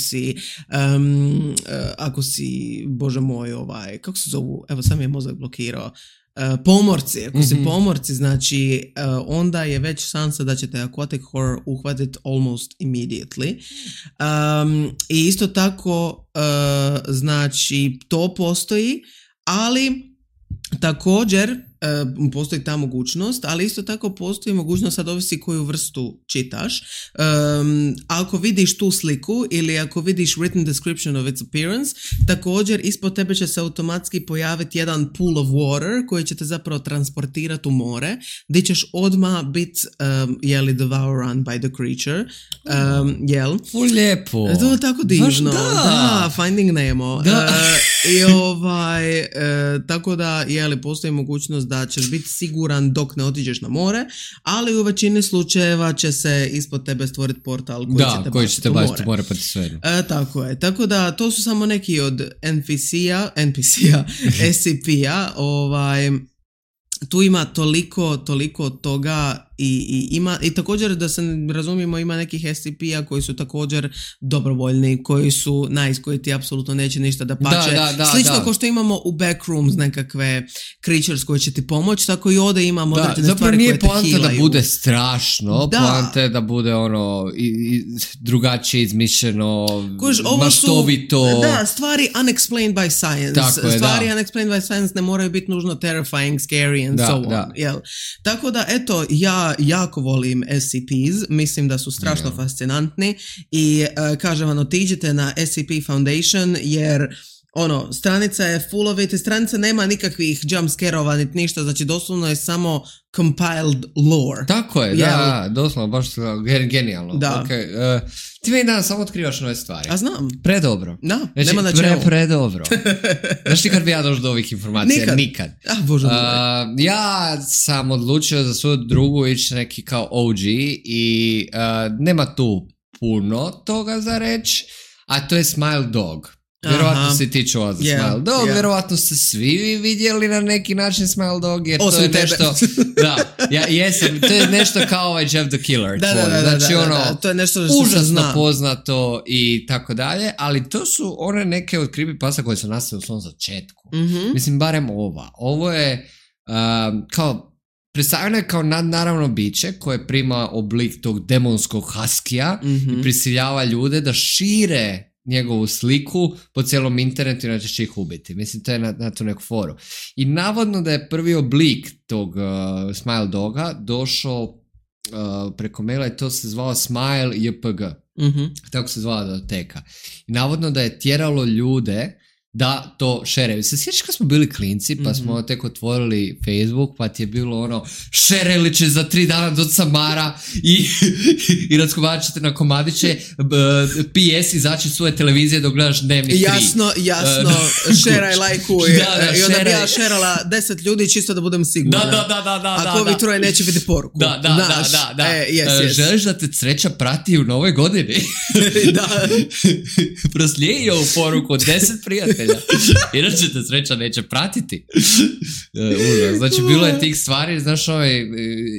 si, bože moj, kako se zovu, evo sam je mozak blokirao, pomorci, ako si pomorci, znači onda je već šansa da ćete aquatic horror uhvatiti almost immediately. I isto tako, znači, to postoji, ali također postoji ta mogućnost, ali isto tako postoji mogućnost, sad ovisi koju vrstu čitaš. Ako vidiš tu sliku ili ako vidiš written description of its appearance, također ispod tebe će se automatski pojaviti jedan pool of water koji će te zapravo transportirati u more, gdje ćeš odmah biti devoured by the creature. Lijepo. To je tako divno. Da, Finding Nemo. Tako da, postoji mogućnost da ćeš biti siguran dok ne otiđeš na more, ali u većini slučajeva će se ispod tebe stvoriti portal koji će te baciti u more. Pa ti sve. Tako je. Tako da, to su samo neki od NPC-a, SCP-a, tu ima toliko toga i također da se razumijemo ima nekih SCP-a koji su također dobrovoljni, koji su nice, koji ti apsolutno neće ništa da pače. Slično kao što imamo u Backrooms nekakve creatures koji će ti pomoći, tako i ovdje imamo određene stvari koje te healaju. Zapravo nije poanta da bude strašno, poanta je da bude drugačije izmišljeno, maštovito. Stvari unexplained by science. Unexplained by science ne moraju biti nužno terrifying, scary and so on. Tako da, eto, ja jako volim SCPs, mislim da su strašno fascinantni i kažem vam, otiđite na SCP Foundation jer stranica je full of it i stranica nema nikakvih jumpscare-ova niti ništa, znači doslovno je samo compiled lore. Tako je, doslovno, baš genijalno. Da. Okay. Ti meni danas samo otkrivaš nove stvari. A znam. Predobro. Da, znači, nema na čemu. Predobro. Znaš ti kad bi ja došao do ovih informacija? Nikad. Bože ja sam odlučio za svoju drugu ići neki kao OG i nema tu puno toga za reći, a to je Smile Dog. Vjerovatno si ti čuo za Smile Dog, vjerovatno ste svi vidjeli na neki način Smile Dog, jer to je nešto, to je nešto kao ovaj Jeff the Killer. Znači to je nešto užasno poznato i tako dalje, ali to su one neke od creepypasta koje su nastale u svom začetku. Mislim, barem ovo je kao predstavljeno je kao nadnaravno biće koje prima oblik tog demonskog huskija i prisiljava ljude da šire njegovu sliku po cijelom internetu, inače će ih ubiti. Mislim, to je na tu neku foru. I navodno da je prvi oblik tog Smile Doga došao preko maila i to se zvao Smile JPG. Tako se zvala datoteka. I navodno da je tjeralo ljude da to šereju. Se sjećaš kad smo bili klinci, pa smo tek otvorili Facebook, pa ti je bilo šereli će za 3 dana do Samara i razgovarat ćete na komadiće, PS izaći svoje televizije dok gledaš Dnevnik 3. Jasno, šeraj, lajkuj. I onda bi ja šerala 10 ljudi čisto da budem sigurna. Ako ovi troje neće vidjeti poruku. Želiš da te sreća prati u novoj godini? Proslijedi ovu poruku od 10 prijatelja. Inače te sreća neće pratiti. Znači, bilo je tih stvari, znaš,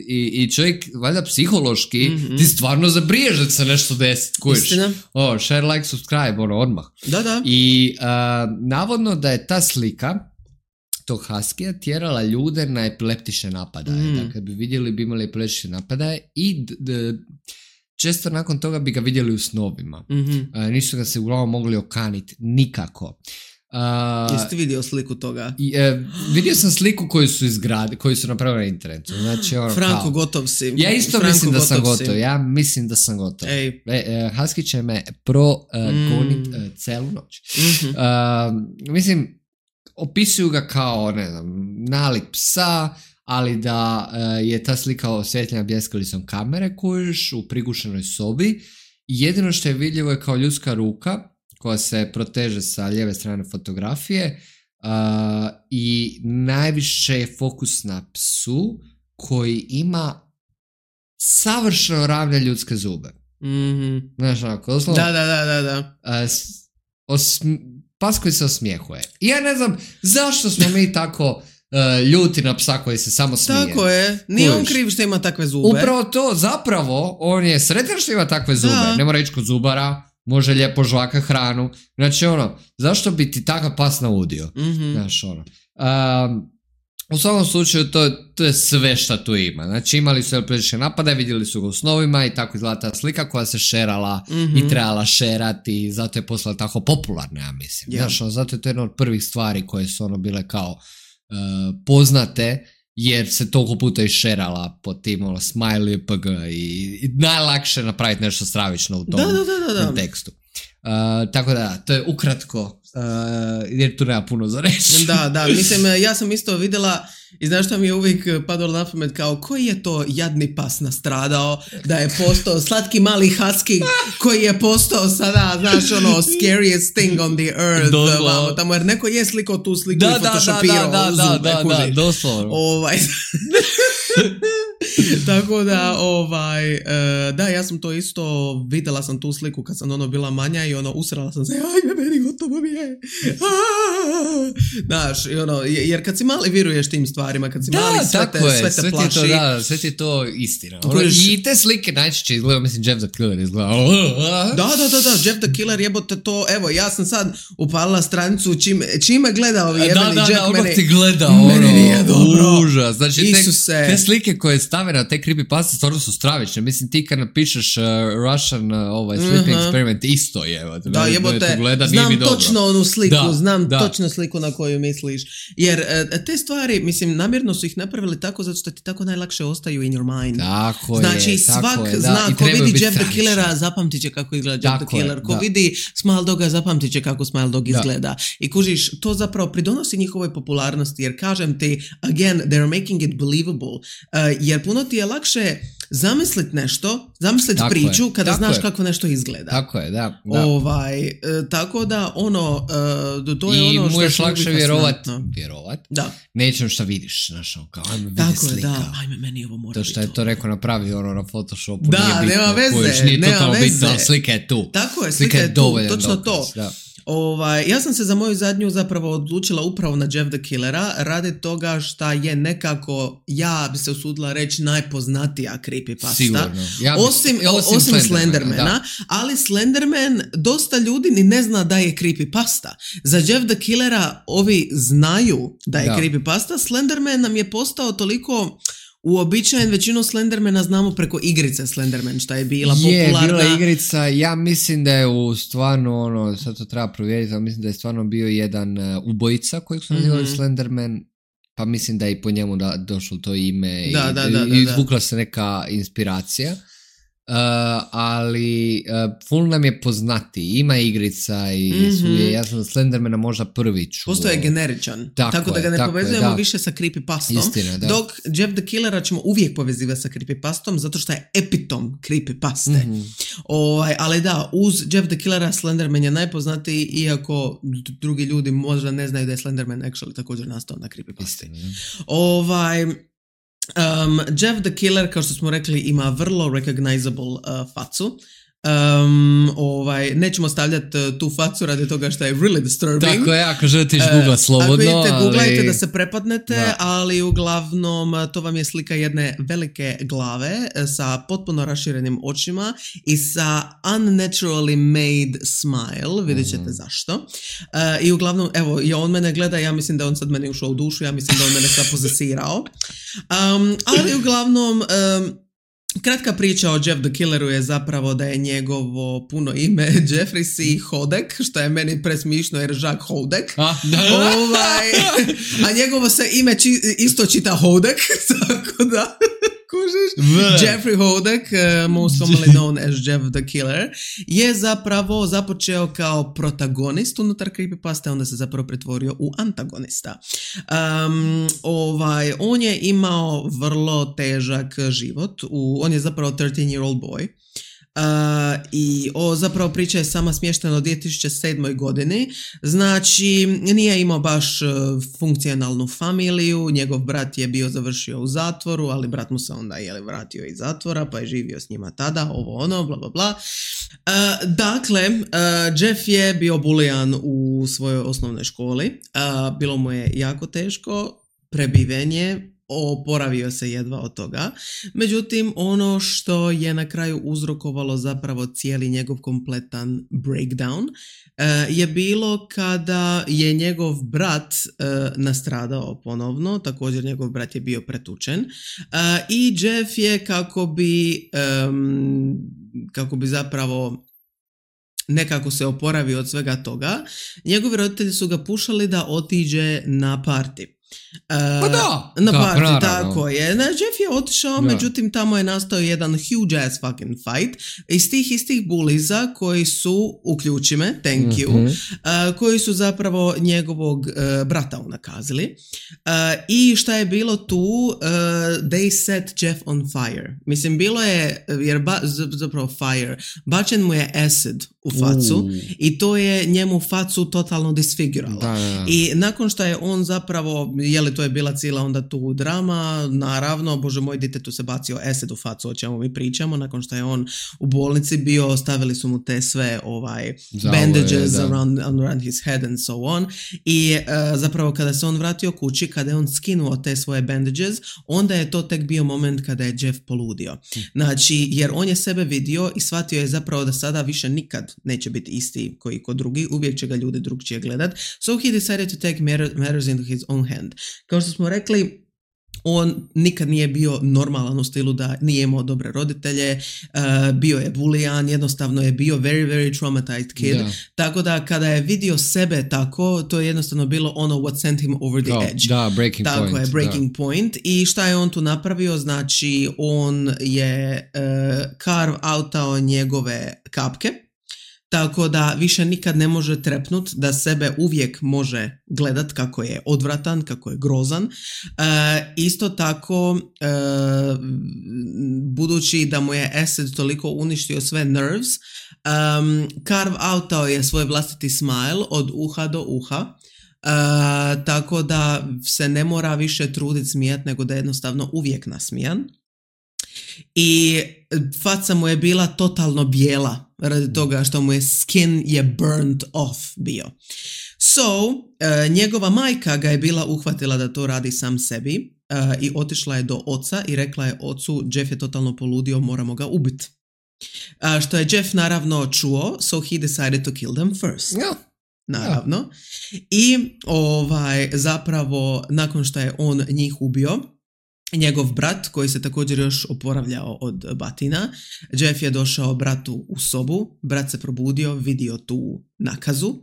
i čovjek, valjda psihološki, ti stvarno zabriješ da se nešto desi. Istina. Share, like, subscribe, odmah. Da. I navodno da je ta slika tog huskija tjerala ljude na epileptične napadaje. Dakle, bi vidjeli, bi imali epileptične napadaje i često nakon toga bi ga vidjeli u snovima. Nisu ga se uglavnom mogli okaniti nikako. Jeste vidio sliku toga? Vidio sam sliku koju su napravili na internetu. Znači, Franko, gotov si. Ja isto mislim da sam gotov. Ja mislim da sam gotov. Husky će me progonit celu noć. Mislim, opisuju ga kao, ne znam, nalik psa, ali da je ta slika osvjetljena bljeskalicom kamere kojuš u prigušenoj sobi. I jedino što je vidljivo je kao ljudska ruka koja se proteže sa lijeve strane fotografije i najviše je fokus na psu koji ima savršeno ravne ljudske zube. Znaš, onako, doslovno. Da. Pas koji se osmijehuje. I ja ne znam zašto smo mi tako ljuti na psa koji se samo smije. Tako je, nije on kriv što ima takve zube. Upravo to, zapravo, on je sretan što ima takve zube. Ne mora ići kod zubara, može lijepo žvaka hranu. Znači, zašto bi ti takav pas naudio? Znaš, u svakom slučaju, to je sve što tu ima. Znači, imali su epileptične napade, vidjeli su ga u snovima i tako izgleda ta slika koja se šerala i trebala šerati i zato je postala tako popularna, ja mislim. Znaš, zato je to jedna od prvih stvari koje su bile kao poznate, jer se toliko puta išerala po tim smiley pg i najlakše napraviti nešto stravično u tom kontekstu. Tako da, to je ukratko, jer tu nema puno za reći. Da, mislim, ja sam isto vidjela i znaš što mi je uvijek padalo na pamet, kao koji je to jadni pas nastradao da je postao slatki mali husky koji je postao sada, znaš, ono, scariest thing on the earth, tamo, jer neko je slikao tu sliku i photoshopirao da, doslovno. Tako da, da, ja sam to isto, vidjela sam tu sliku kad sam ono bila manja i ono, usrala sam se, ajme, meni gotovo mi je. Znaš, i ono, jer kad si mali viruješ tim stvarima, kad si mali sve te plaši. Sve ti to istina. I te slike najčešće izgledaju, mislim, Jeff the Killer izgleda. Da, Jeff the Killer, jebote to, evo, ja sam sad upalila stranicu, čime gleda ovi jebeni Jack, meni ti gleda, meni nije dobro. Užas, znači te slike koje stave na te creepypasta stvarno su stravične. Mislim, ti kad napišeš Russian sleeping experiment, isto je. Da, jebote, znam točno onu sliku, točno sliku na koju misliš. Jer te stvari, mislim, namjerno su ih napravili tako zato što ti tako najlakše ostaju in your mind. Znači, svak zna, ko vidi Jeff the Killera, zapamtit će kako izgleda Jeff the Killer. Ko vidi Smile Doga, zapamtit će kako Smile Dog izgleda. I kužiš, to zapravo pridonosi njihovoj popularnosti, jer kažem ti, again, they're making it believable. Jer puno ti je lakše zamisliti nešto, zamisliti priču kada znaš kako nešto izgleda. Tako je, da. Tako da, ono, to je ono što je možeš lakše vjerovat, da. Nečem što vidiš, znaš, kao, ajme, vidi slika. Da, ajme, meni ovo mora biti. To što je to rekao napravi ono na Photoshopu, da, nije bitno, nije totalno bitno, ali slika je tu. Tako je, slika je tu, točno dokaz, to. Da. Ja sam se za moju zadnju zapravo odlučila upravo na Jeff the Killera radi toga šta je nekako, ja bi se usudila reći, najpoznatija creepypasta. Sigurno. Osim Slendermana, ali Slenderman dosta ljudi ni ne zna da je creepypasta. Za Jeff the Killera ovi znaju da je creepypasta. Slenderman nam je postao toliko uobičajen, većinu Slendermana znamo preko igrice Slenderman, šta je bila popularna. Bila igrica, ja mislim da je u stvarno, ono, sad to treba provjeriti, ali mislim da je stvarno bio jedan ubojica kojeg su nazivali Slenderman, pa mislim da je i po njemu došlo to ime i izvukla se neka inspiracija. Ali full nam je poznati, ima igrica i ja sam Slendermana možda prvi čuo. Postoje generičan, tako da ga ne povezujemo više sa creepypastom. Istina, da. Dok Jeff the Killera ćemo uvijek povezivati sa creepypastom zato što je epitom creepypaste. Ali da, uz Jeff the Killera Slenderman je najpoznatiji, iako drugi ljudi možda ne znaju da je Slenderman actually također nastao na creepypasti. Jeff the Killer, kao što smo rekli, ima vrlo recognizable facu. Nećemo stavljati tu facu radi toga što je really disturbing. Tako je, ako želite googlat slobodno. Ako idete, googlajte da se prepadnete, ali uglavnom to vam je slika jedne velike glave sa potpuno raširenim očima i sa unnaturally made smile, vidjet ćete zašto. I uglavnom, evo, on mene gleda, ja mislim da on sad meni ušao u dušu, ja mislim da on mene sad pozesirao. Ali uglavnom, kratka priča o Jeff the Killeru je zapravo da je njegovo puno ime Jeffrey C. Hodek, što je meni presmišno jer Jacques Hodek. A njegovo se ime isto čita Hodek, tako da kužiš. Jeffrey Hodek, most commonly known as Jeff the Killer, je zapravo započeo kao protagonist unutar creepypasta, onda se zapravo pretvorio u antagonista. On je imao vrlo težak život. On je zapravo 13-year-old boy. I zapravo priča je sama smještena u 2007. godini. Znači, nije imao baš funkcionalnu familiju, njegov brat je bio završio u zatvoru, ali brat mu se onda vratio iz zatvora, pa je živio s njima tada, bla bla bla. Dakle, Jeff je bio bulijan u svojoj osnovnoj školi, bilo mu je jako teško, prebiven je, oporavio se jedva od toga. Međutim, ono što je na kraju uzrokovalo zapravo cijeli njegov kompletan breakdown je bilo kada je njegov brat nastradao ponovno, također njegov brat je bio pretučen i Jeff je kako bi zapravo nekako se oporavio od svega toga, njegovi roditelji su ga pušali da otiđe na party. Pa da, na party, naravno. tako je. Jeff je otišao, međutim tamo je nastao jedan huge ass fucking fight iz tih istih buliza koji su, uključi me, thank you, koji su zapravo njegovog brata unakazili. I šta je bilo tu, they set Jeff on fire. Mislim, bilo je, jer zapravo fire, bačen mu je acid u facu i to je njemu facu totalno disfiguralo. Da. I nakon što je on zapravo, to je bila cijela onda tu drama, naravno, bože moj, ditetu se bacio acid u facu, o čemu mi pričamo, nakon što je on u bolnici bio, stavili su mu te sve bandages around his head and so on. I zapravo kada se on vratio kući, kada je on skinuo te svoje bandages, onda je to tek bio moment kada je Jeff poludio. Znači, jer on je sebe vidio i shvatio je zapravo da sada više nikad neće biti isti koji kod drugi, uvijek će ga ljudi drugčije gledat. So he decided to take matters into his own hand. Kao što smo rekli, on nikad nije bio normalan u stilu da nije imao dobre roditelje, bio je bulijan, jednostavno je bio very traumatized kid. Tako da kada je vidio sebe tako, to je jednostavno bilo ono what sent him over the edge. Da, breaking tako point. Tako je, breaking point. I šta je on tu napravio? Znači, on je carve outao njegove kapke, tako da više nikad ne može trepnut, da sebe uvijek može gledat kako je odvratan, kako je grozan. Isto tako, budući da mu je acid toliko uništio sve nerves, carve outao je svoj vlastiti smile od uha do uha. Tako da se ne mora više truditi smijat, nego da je jednostavno uvijek nasmijan. I faca mu je bila totalno bijela radi toga što mu je skin je burnt off bio. So, njegova majka ga je bila uhvatila da to radi sam sebi i otišla je do oca i rekla je ocu, Jeff je totalno poludio, moramo ga ubiti. Što je Jeff naravno čuo, so he decided to kill them first. Naravno. I zapravo nakon što je on njih ubio, njegov brat, koji se također još oporavljao od batina, Jeff je došao bratu u sobu, brat se probudio, vidio tu nakazu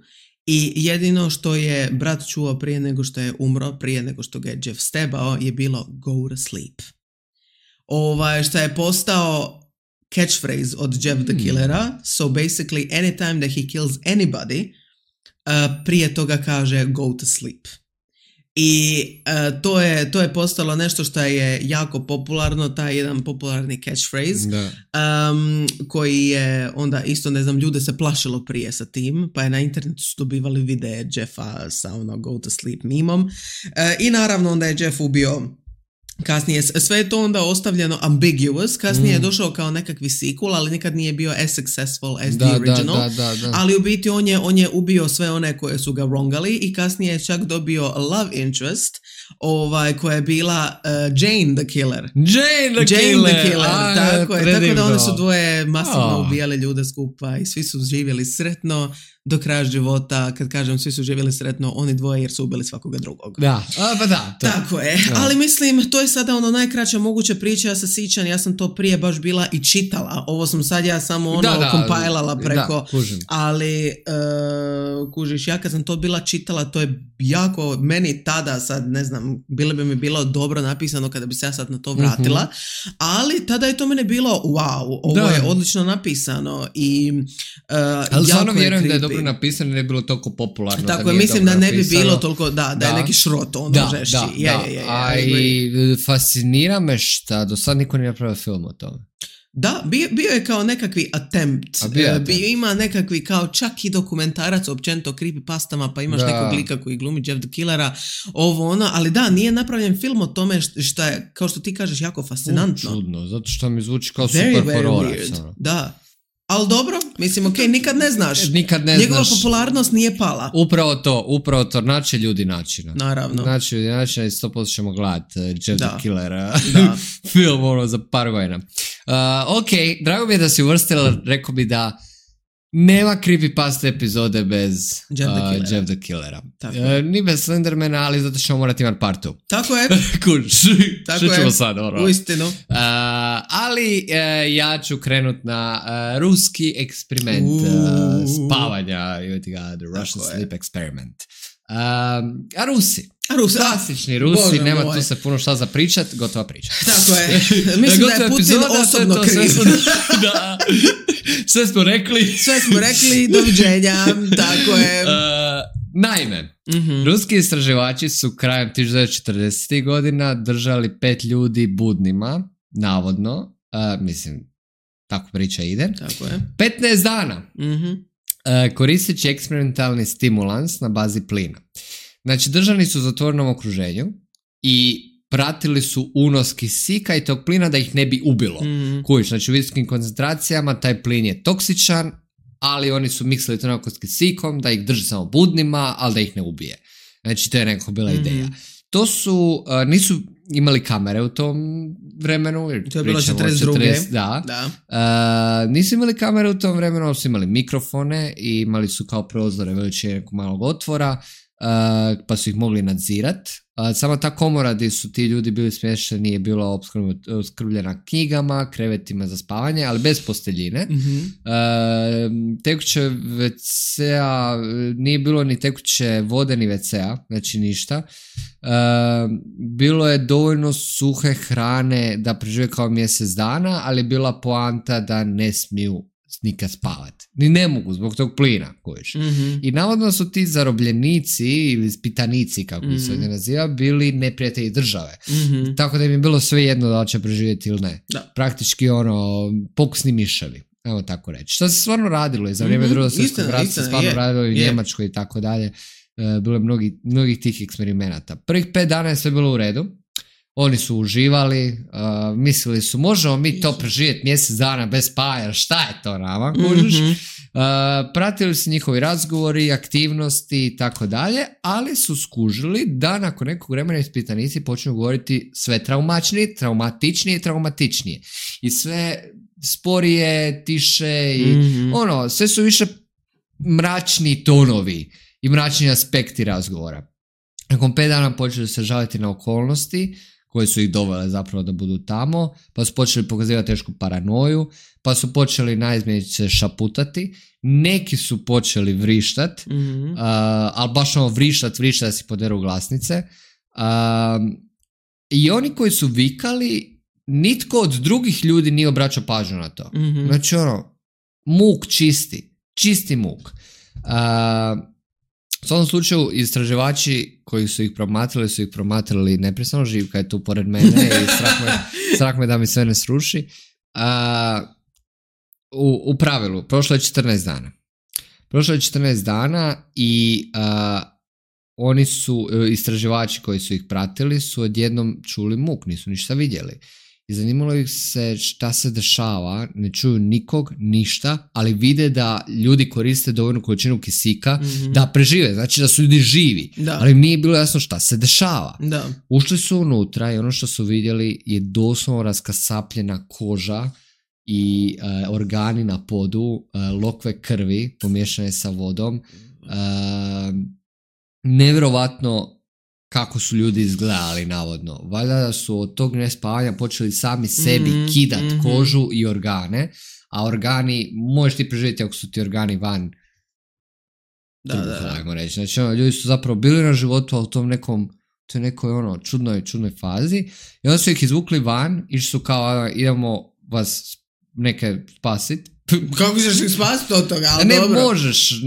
i jedino što je brat čuo prije nego što je umro, prije nego što ga je Jeff stebao, je bilo go to sleep. Što je postao catchphrase od Jeff the Killera, so basically anytime that he kills anybody, prije toga kaže go to sleep. I to je postalo nešto što je jako popularno, taj jedan popularni catchphrase, koji je onda isto, ne znam, ljude se plašilo prije sa tim, pa je na internetu su dobivali videe Jeffa sa go to sleep mimom. I naravno onda je Jeff ubio. Kasnije, sve je to onda ostavljeno ambiguous, kasnije je došao kao nekakvi sequel, ali nikad nije bio as successful as the original, ali u biti on je ubio sve one koje su ga wrongali i kasnije je čak dobio love interest, koja je bila Jane the Killer. Jane the Killer, tako je, tako da one su dvoje masivno ubijale ljude skupa i svi su živjeli sretno do kraja života. Kad kažem svi su živjeli sretno, oni dvoje jer su ubili svakoga drugog. Tako je, ali mislim, to je sada najkraća moguća priča, ja se sjećam, ja sam to prije baš bila i čitala, ovo sam sad ja samo kompilala preko, ali kužiš, ja kad sam to bila čitala, to je jako, meni tada sad, ne znam, bi mi bilo dobro napisano kada bi se ja sad na to vratila, ali tada je to mene bilo, wow, ovo je odlično napisano i ali stvarno vjerujem da je dobro napisano, ne je bilo toliko popularno. Tako je, mislim da ne bi bilo toliko, da je neki šrot žešći. I fascinira me šta do sad niko nije napravio film o tome. Da, bio je kao nekakvi attempt. Bio ima nekakvi kao čak i dokumentarac općenito creepypastama, pa imaš nekog lika koji glumi Jeff the Killera, ali nije napravljen film o tome što je, kao što ti kažeš, jako fascinantno. Čudno, zato što mi zvuči kao super hororac. Da. Ali dobro, mislim, nikad ne znaš. Njegova popularnost nije pala. Upravo to, naći ljudi načina. Naravno. Naći ljudi načina i 100% ćemo gledati Jeff the Killera film za par godina. Ok, drago mi je da si uvrstila, rekao bi da nema creepypasta epizode bez Jeff the Killera. Ni bez Slendermana, ali zato ćemo morati imati part 2. Tako je. Što ćemo sad? Uistinu. Ali ja ću krenut na ruski eksperiment spavanja. The Russian Sleep Experiment. A Rusi? Klasični Rusi, Bože nema moj. Tu se puno šta za pričat, gotova priča. Tako je. Mislim da je Putin epizoda, osobno kriv. Da. Sve smo rekli, doviđenja, tako je. Naime, ruski istraživači su krajem 1940. godina držali 5 ljudi budnima, navodno, mislim, tako priča ide, tako je. 15 dana, koristeći eksperimentalni stimulans na bazi plina. Znači, držani su u zatvorenom okruženju i pratili su unos kisika i tog plina da ih ne bi ubilo. Kužiš, znači u visokim koncentracijama taj plin je toksičan, ali oni su miksali to nekako s kisikom da ih drži samo budnima, ali da ih ne ubije. Znači, to je nekako bila ideja. To su, nisu imali kamere u tom vremenu. To je bilo 42. Da. Nisu imali kamere u tom vremenu, ali su imali mikrofone i imali su kao prozore veličine nekog malog otvora, pa su ih mogli nadzirat. Sama ta komora gdje su ti ljudi bili smješteni je bila opskrbljena knjigama, krevetima za spavanje, ali bez posteljine. Tekuće WC-a, nije bilo ni tekuće vode ni WC-a, znači ništa. Bilo je dovoljno suhe hrane da prežive kao mjesec dana, ali je bila poanta da ne smiju nikad spavati. Ni ne mogu zbog tog plina kojiš. I navodno su ti zarobljenici ili spitanici, kako bi se ovdje naziva, bili neprijatelji države. Tako da im je bilo sve jedno da li će preživjeti ili ne. Da. Praktički pokusni miševi. Evo tako reći. Što se stvarno radilo i za vrijeme Drugog svjetskog rata se stvarno radilo i u Njemačkoj i tako dalje. Bilo je mnogih tih eksperimenata. Prvih 5 dana je sve bilo u redu. Oni su uživali, mislili su možemo mi to preživjeti mjesec dana bez spavanja, šta je to nama, kužiš? Pratili su njihovi razgovori, aktivnosti i tako dalje, ali su skužili da nakon nekog vremena ispitanici počnu govoriti sve traumatičnije i sve sporije, tiše i sve su više mračni tonovi i mračni aspekti razgovora. Nakon 5 dana počeli se žaliti na okolnosti koje su ih dovele zapravo da budu tamo, pa su počeli pokazivati tešku paranoju, pa su počeli naizmjenice šaputati, neki su počeli vrištat, ali baš vrištat da si poderu glasnice. I oni koji su vikali, nitko od drugih ljudi nije obraćao pažnju na to. Znači muk čisti muk. U svom slučaju istraživači koji su ih promatrali neprestano, Živka je tu pored mene i strah me da mi sve ne sruši. U pravilu, prošlo je 14 dana i oni su, istraživači koji su ih pratili su odjednom čuli muk, nisu ništa vidjeli. I zanimalo ih se šta se dešava, ne čuju nikog, ništa, ali vide da ljudi koriste dovoljnu količinu kisika da prežive, znači da su ljudi živi, ali im nije bilo jasno šta se dešava. Ušli su unutra i ono što su vidjeli je doslovno raskasapljena koža i organi na podu, lokve krvi pomiješane sa vodom, nevjerovatno kako su ljudi izgledali navodno. Valjda da su od tog nespavanja počeli sami sebi kidat kožu i organe, a organi, možeš ti preživjeti ako su ti organi van ajmo reći. Znači, ljudi su zapravo bili na životu, a u tom toj nekoj čudnoj fazi, i onda su ih izvukli van, išli su kao, idemo vas neke spasiti. Kako ćeš ih spasiti od toga? Ali ne dobro. Možeš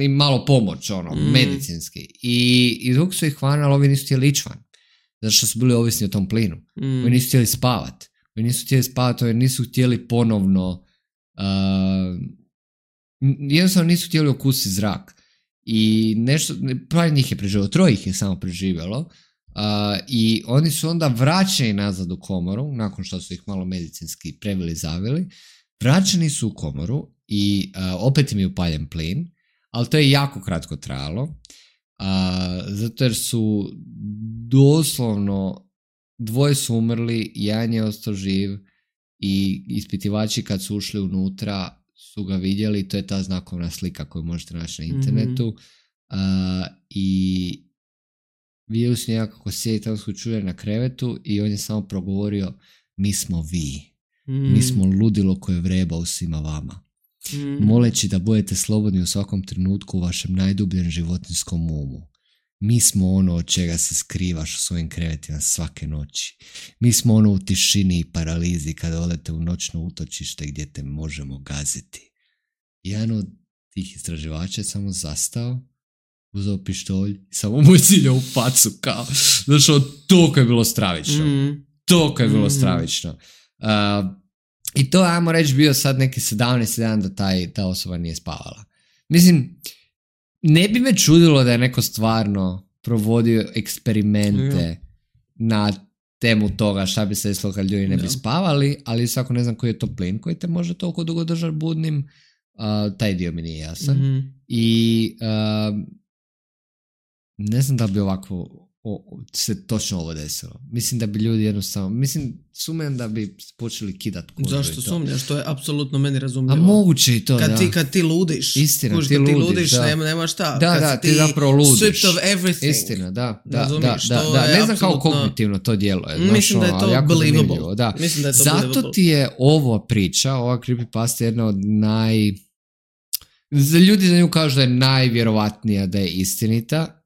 im malo pomoć, medicinski. I izvukli su ih van, ali ovi nisu htjeli ići van. Zato što su bili ovisni o tom plinu. Ovi nisu htjeli spavati. Ovi nisu htjeli ponovno jednostavno nisu htjeli okusiti zrak. I nešto, pravi njih je preživjelo, 3 ih je samo preživjelo. I oni su onda vraćeni nazad u komoru, nakon što su ih malo medicinski preveli, zavili. Vraćeni su u komoru i opet im je upaljen plin, ali to je jako kratko trajalo, zato jer su doslovno 2 su umrli, 1 je ostao živ i ispitivači kad su ušli unutra su ga vidjeli, to je ta znakovna slika koju možete naći na internetu, i vidjeli su njega kako sjedi tamo skučuje na krevetu i on je samo progovorio: mi smo vi. Mi smo ludilo koje vreba u svima vama. Moleći da budete slobodni u svakom trenutku u vašem najdubljem životinjskom umu. Mi smo ono od čega se skrivaš u svojim krevetima svake noći. Mi smo ono u tišini i paralizi kada odete u noćno utočište gdje te možemo gaziti. Jedan od tih istraživača je samo zastao, uzeo pištolj i samo mu je ciljao u facu kao. Znači, toliko je bilo stravično. Toliko je bilo stravično. I to, ajmo reći, bio sad neki 17 dan da ta osoba nije spavala. Mislim, ne bi me čudilo da je neko stvarno provodio eksperimente na temu toga šta bi se desilo kad ljudi ne bi spavali, ali svako ne znam koji je to plin koji te može toliko dugo držati budnim. Taj dio mi nije jasan. I ne znam da bi ovako se točno ovo desilo. Mislim da bi ljudi jednostavno, sumnjam da bi počeli kidat kožu. Zašto sumnjaš? To je apsolutno meni razumljivo. A moguće i to, kad ti ludiš. Istina, kad ti ludiš, nema šta. Da, ti zapravo ludiš. Stripped of everything. Istina, da. Ne znam kao kognitivno to djeluje. Mislim da je to believable. Da. Zato ti je ova priča, ova creepypasta jedna od ljudi za nju kažu da je najvjerovatnija da je istinita.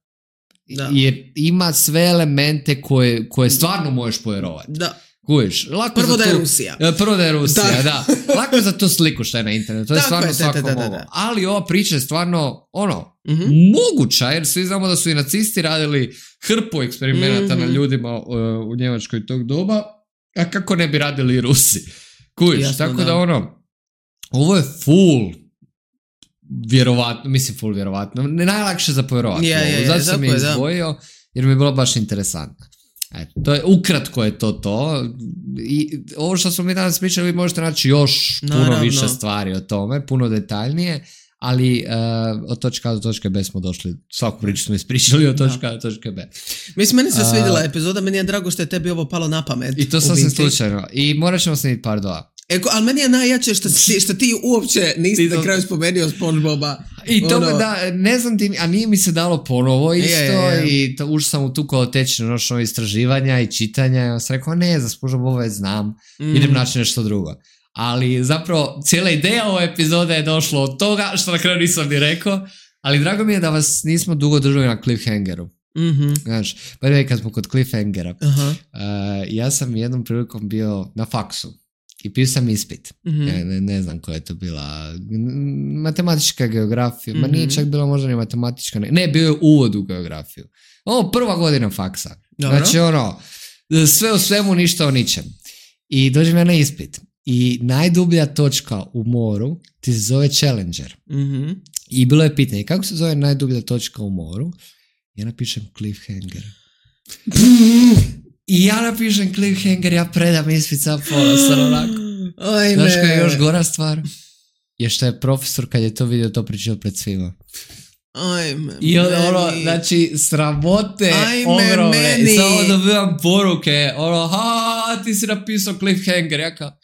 Da. Jer ima sve elemente koje stvarno možeš povjerovati. Da. Kužiš, prvo da je Rusija. Prvo da je Rusija, da. Lako je za tu sliku što je na internetu. To je stvarno svako mogu. Ali ova priča je stvarno moguća, jer svi znamo da su i nacisti radili hrpu eksperimenata na ljudima u Njemačkoj tog doba, a kako ne bi radili i Rusi. Kužiš, tako da ovo je full vjerovatno, najlakše za povjerovati. Zato sam je izdvojio, jer mi je bilo baš interesantno. To je, ukratko je to. I ovo što smo mi danas pričali, vi možete naći još puno više stvari o tome, puno detaljnije, ali od točka A do točke B smo došli, svaku priču smo ispričali od točka A do točke B. Mislim, meni se svidjela epizoda, meni je drago što je tebi ovo palo na pamet. I to sasvim slučajno. I morat ćemo snimiti par dva. Ali meni je najjače što ti uopće nisi na kraju spomenuo SpongeBoba. I to ne znam ti, a nije mi se dalo ponovo isto i ušao sam u tu kolotečnu noćno istraživanja i čitanja i on sam rekao, ne, za SpongeBoba već znam, idem naći nešto drugo. Ali zapravo cijela ideja ove epizode je došla od toga što na kraju nisam ni rekao, ali drago mi je da vas nismo dugo držali na cliffhangeru. Znaš, prvi kad smo kod cliffhangera, ja sam jednom prilikom bio na faksu. I pisao sam ispit. Ne znam koja je to bila. Matematička geografija. Ma nije čak bila možda ni matematička. Ne, bio je uvod u geografiju. Prva godina faksa. Dobro. Znači sve o svemu, ništa o ničem. I dođem ja na ispit. I najdublja točka u moru ti se zove Challenger. I bilo je pitanje, kako se zove najdublja točka u moru? Ja napišem cliffhanger. I ja napišem cliffhanger, ja predam ispit sa ponosan onako. Znaš koja je još gora stvar? Je što je profesor kad je to vidio to pričao pred svima. I znači, sramote ogromne. I samo dobivam poruke, ti si napisao cliffhanger, ja kao...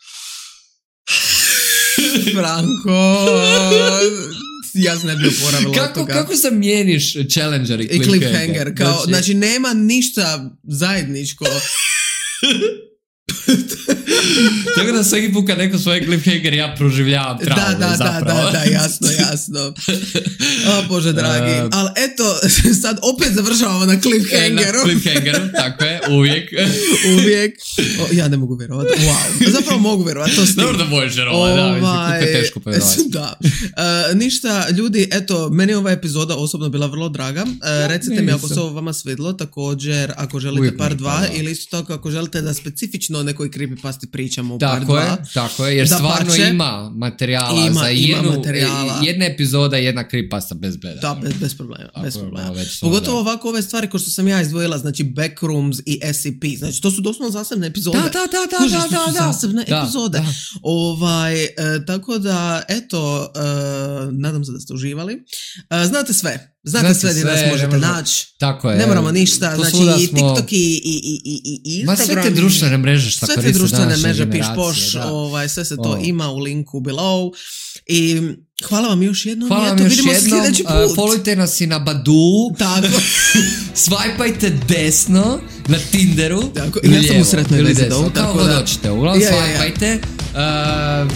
Franko... Ja sam ne bio poravila od toga. Kako zamijeniš Challenger i cliffhanger? Znači, nema ništa zajedničko. Tako da svaki put kad neko svoje cliffhanger ja proživljavam traume zapravo. Da, jasno. O Bože dragi. Ali eto, sad opet završavamo na cliffhangeru. Na cliffhangeru, tako je, uvijek. Ja ne mogu vjerovati. Wow. Zapravo mogu vjerovati, to dobro da možeš vjerovati, kako je teško povjerovati. Da. Ništa, ljudi, eto, meni je ova epizoda osobno bila vrlo draga. Recite mi ako se ovo vama svidlo, također ako želite par 2 ili isto tako ako želite da specifično o nekoj creepypasti pričamo u par 2. Tako je, jer stvarno ima materijala za jedna epizoda i jedna creepypasta bez beda. Da, bez problema. Pogotovo ovako ove stvari ko što sam ja izdvojila, znači Backrooms i SCP, znači to su doslovno zasebne epizode. Da. Zasebne epizode. Tako da, eto, nadam se da ste uživali. Znate sve gdje nas možete naći. Tako je. Ne moramo ništa, znači i TikTok i Instagram. Ma sve te društvene mreže šta koriste društvene mreže, piš-poš, sve se to ima u linku below. I hvala vam još jednom. Vidimo se sljedeći put. Followite nas i na Badoo. Tako. Swipajte desno na Tinderu. Tako. Ja sam u sretnoj vezi dovu. Kao god hoćete. Uglavnom swipajte.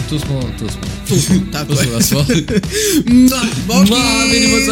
Tu smo. Tako je. Tu smo. Boškić. Vidimo se.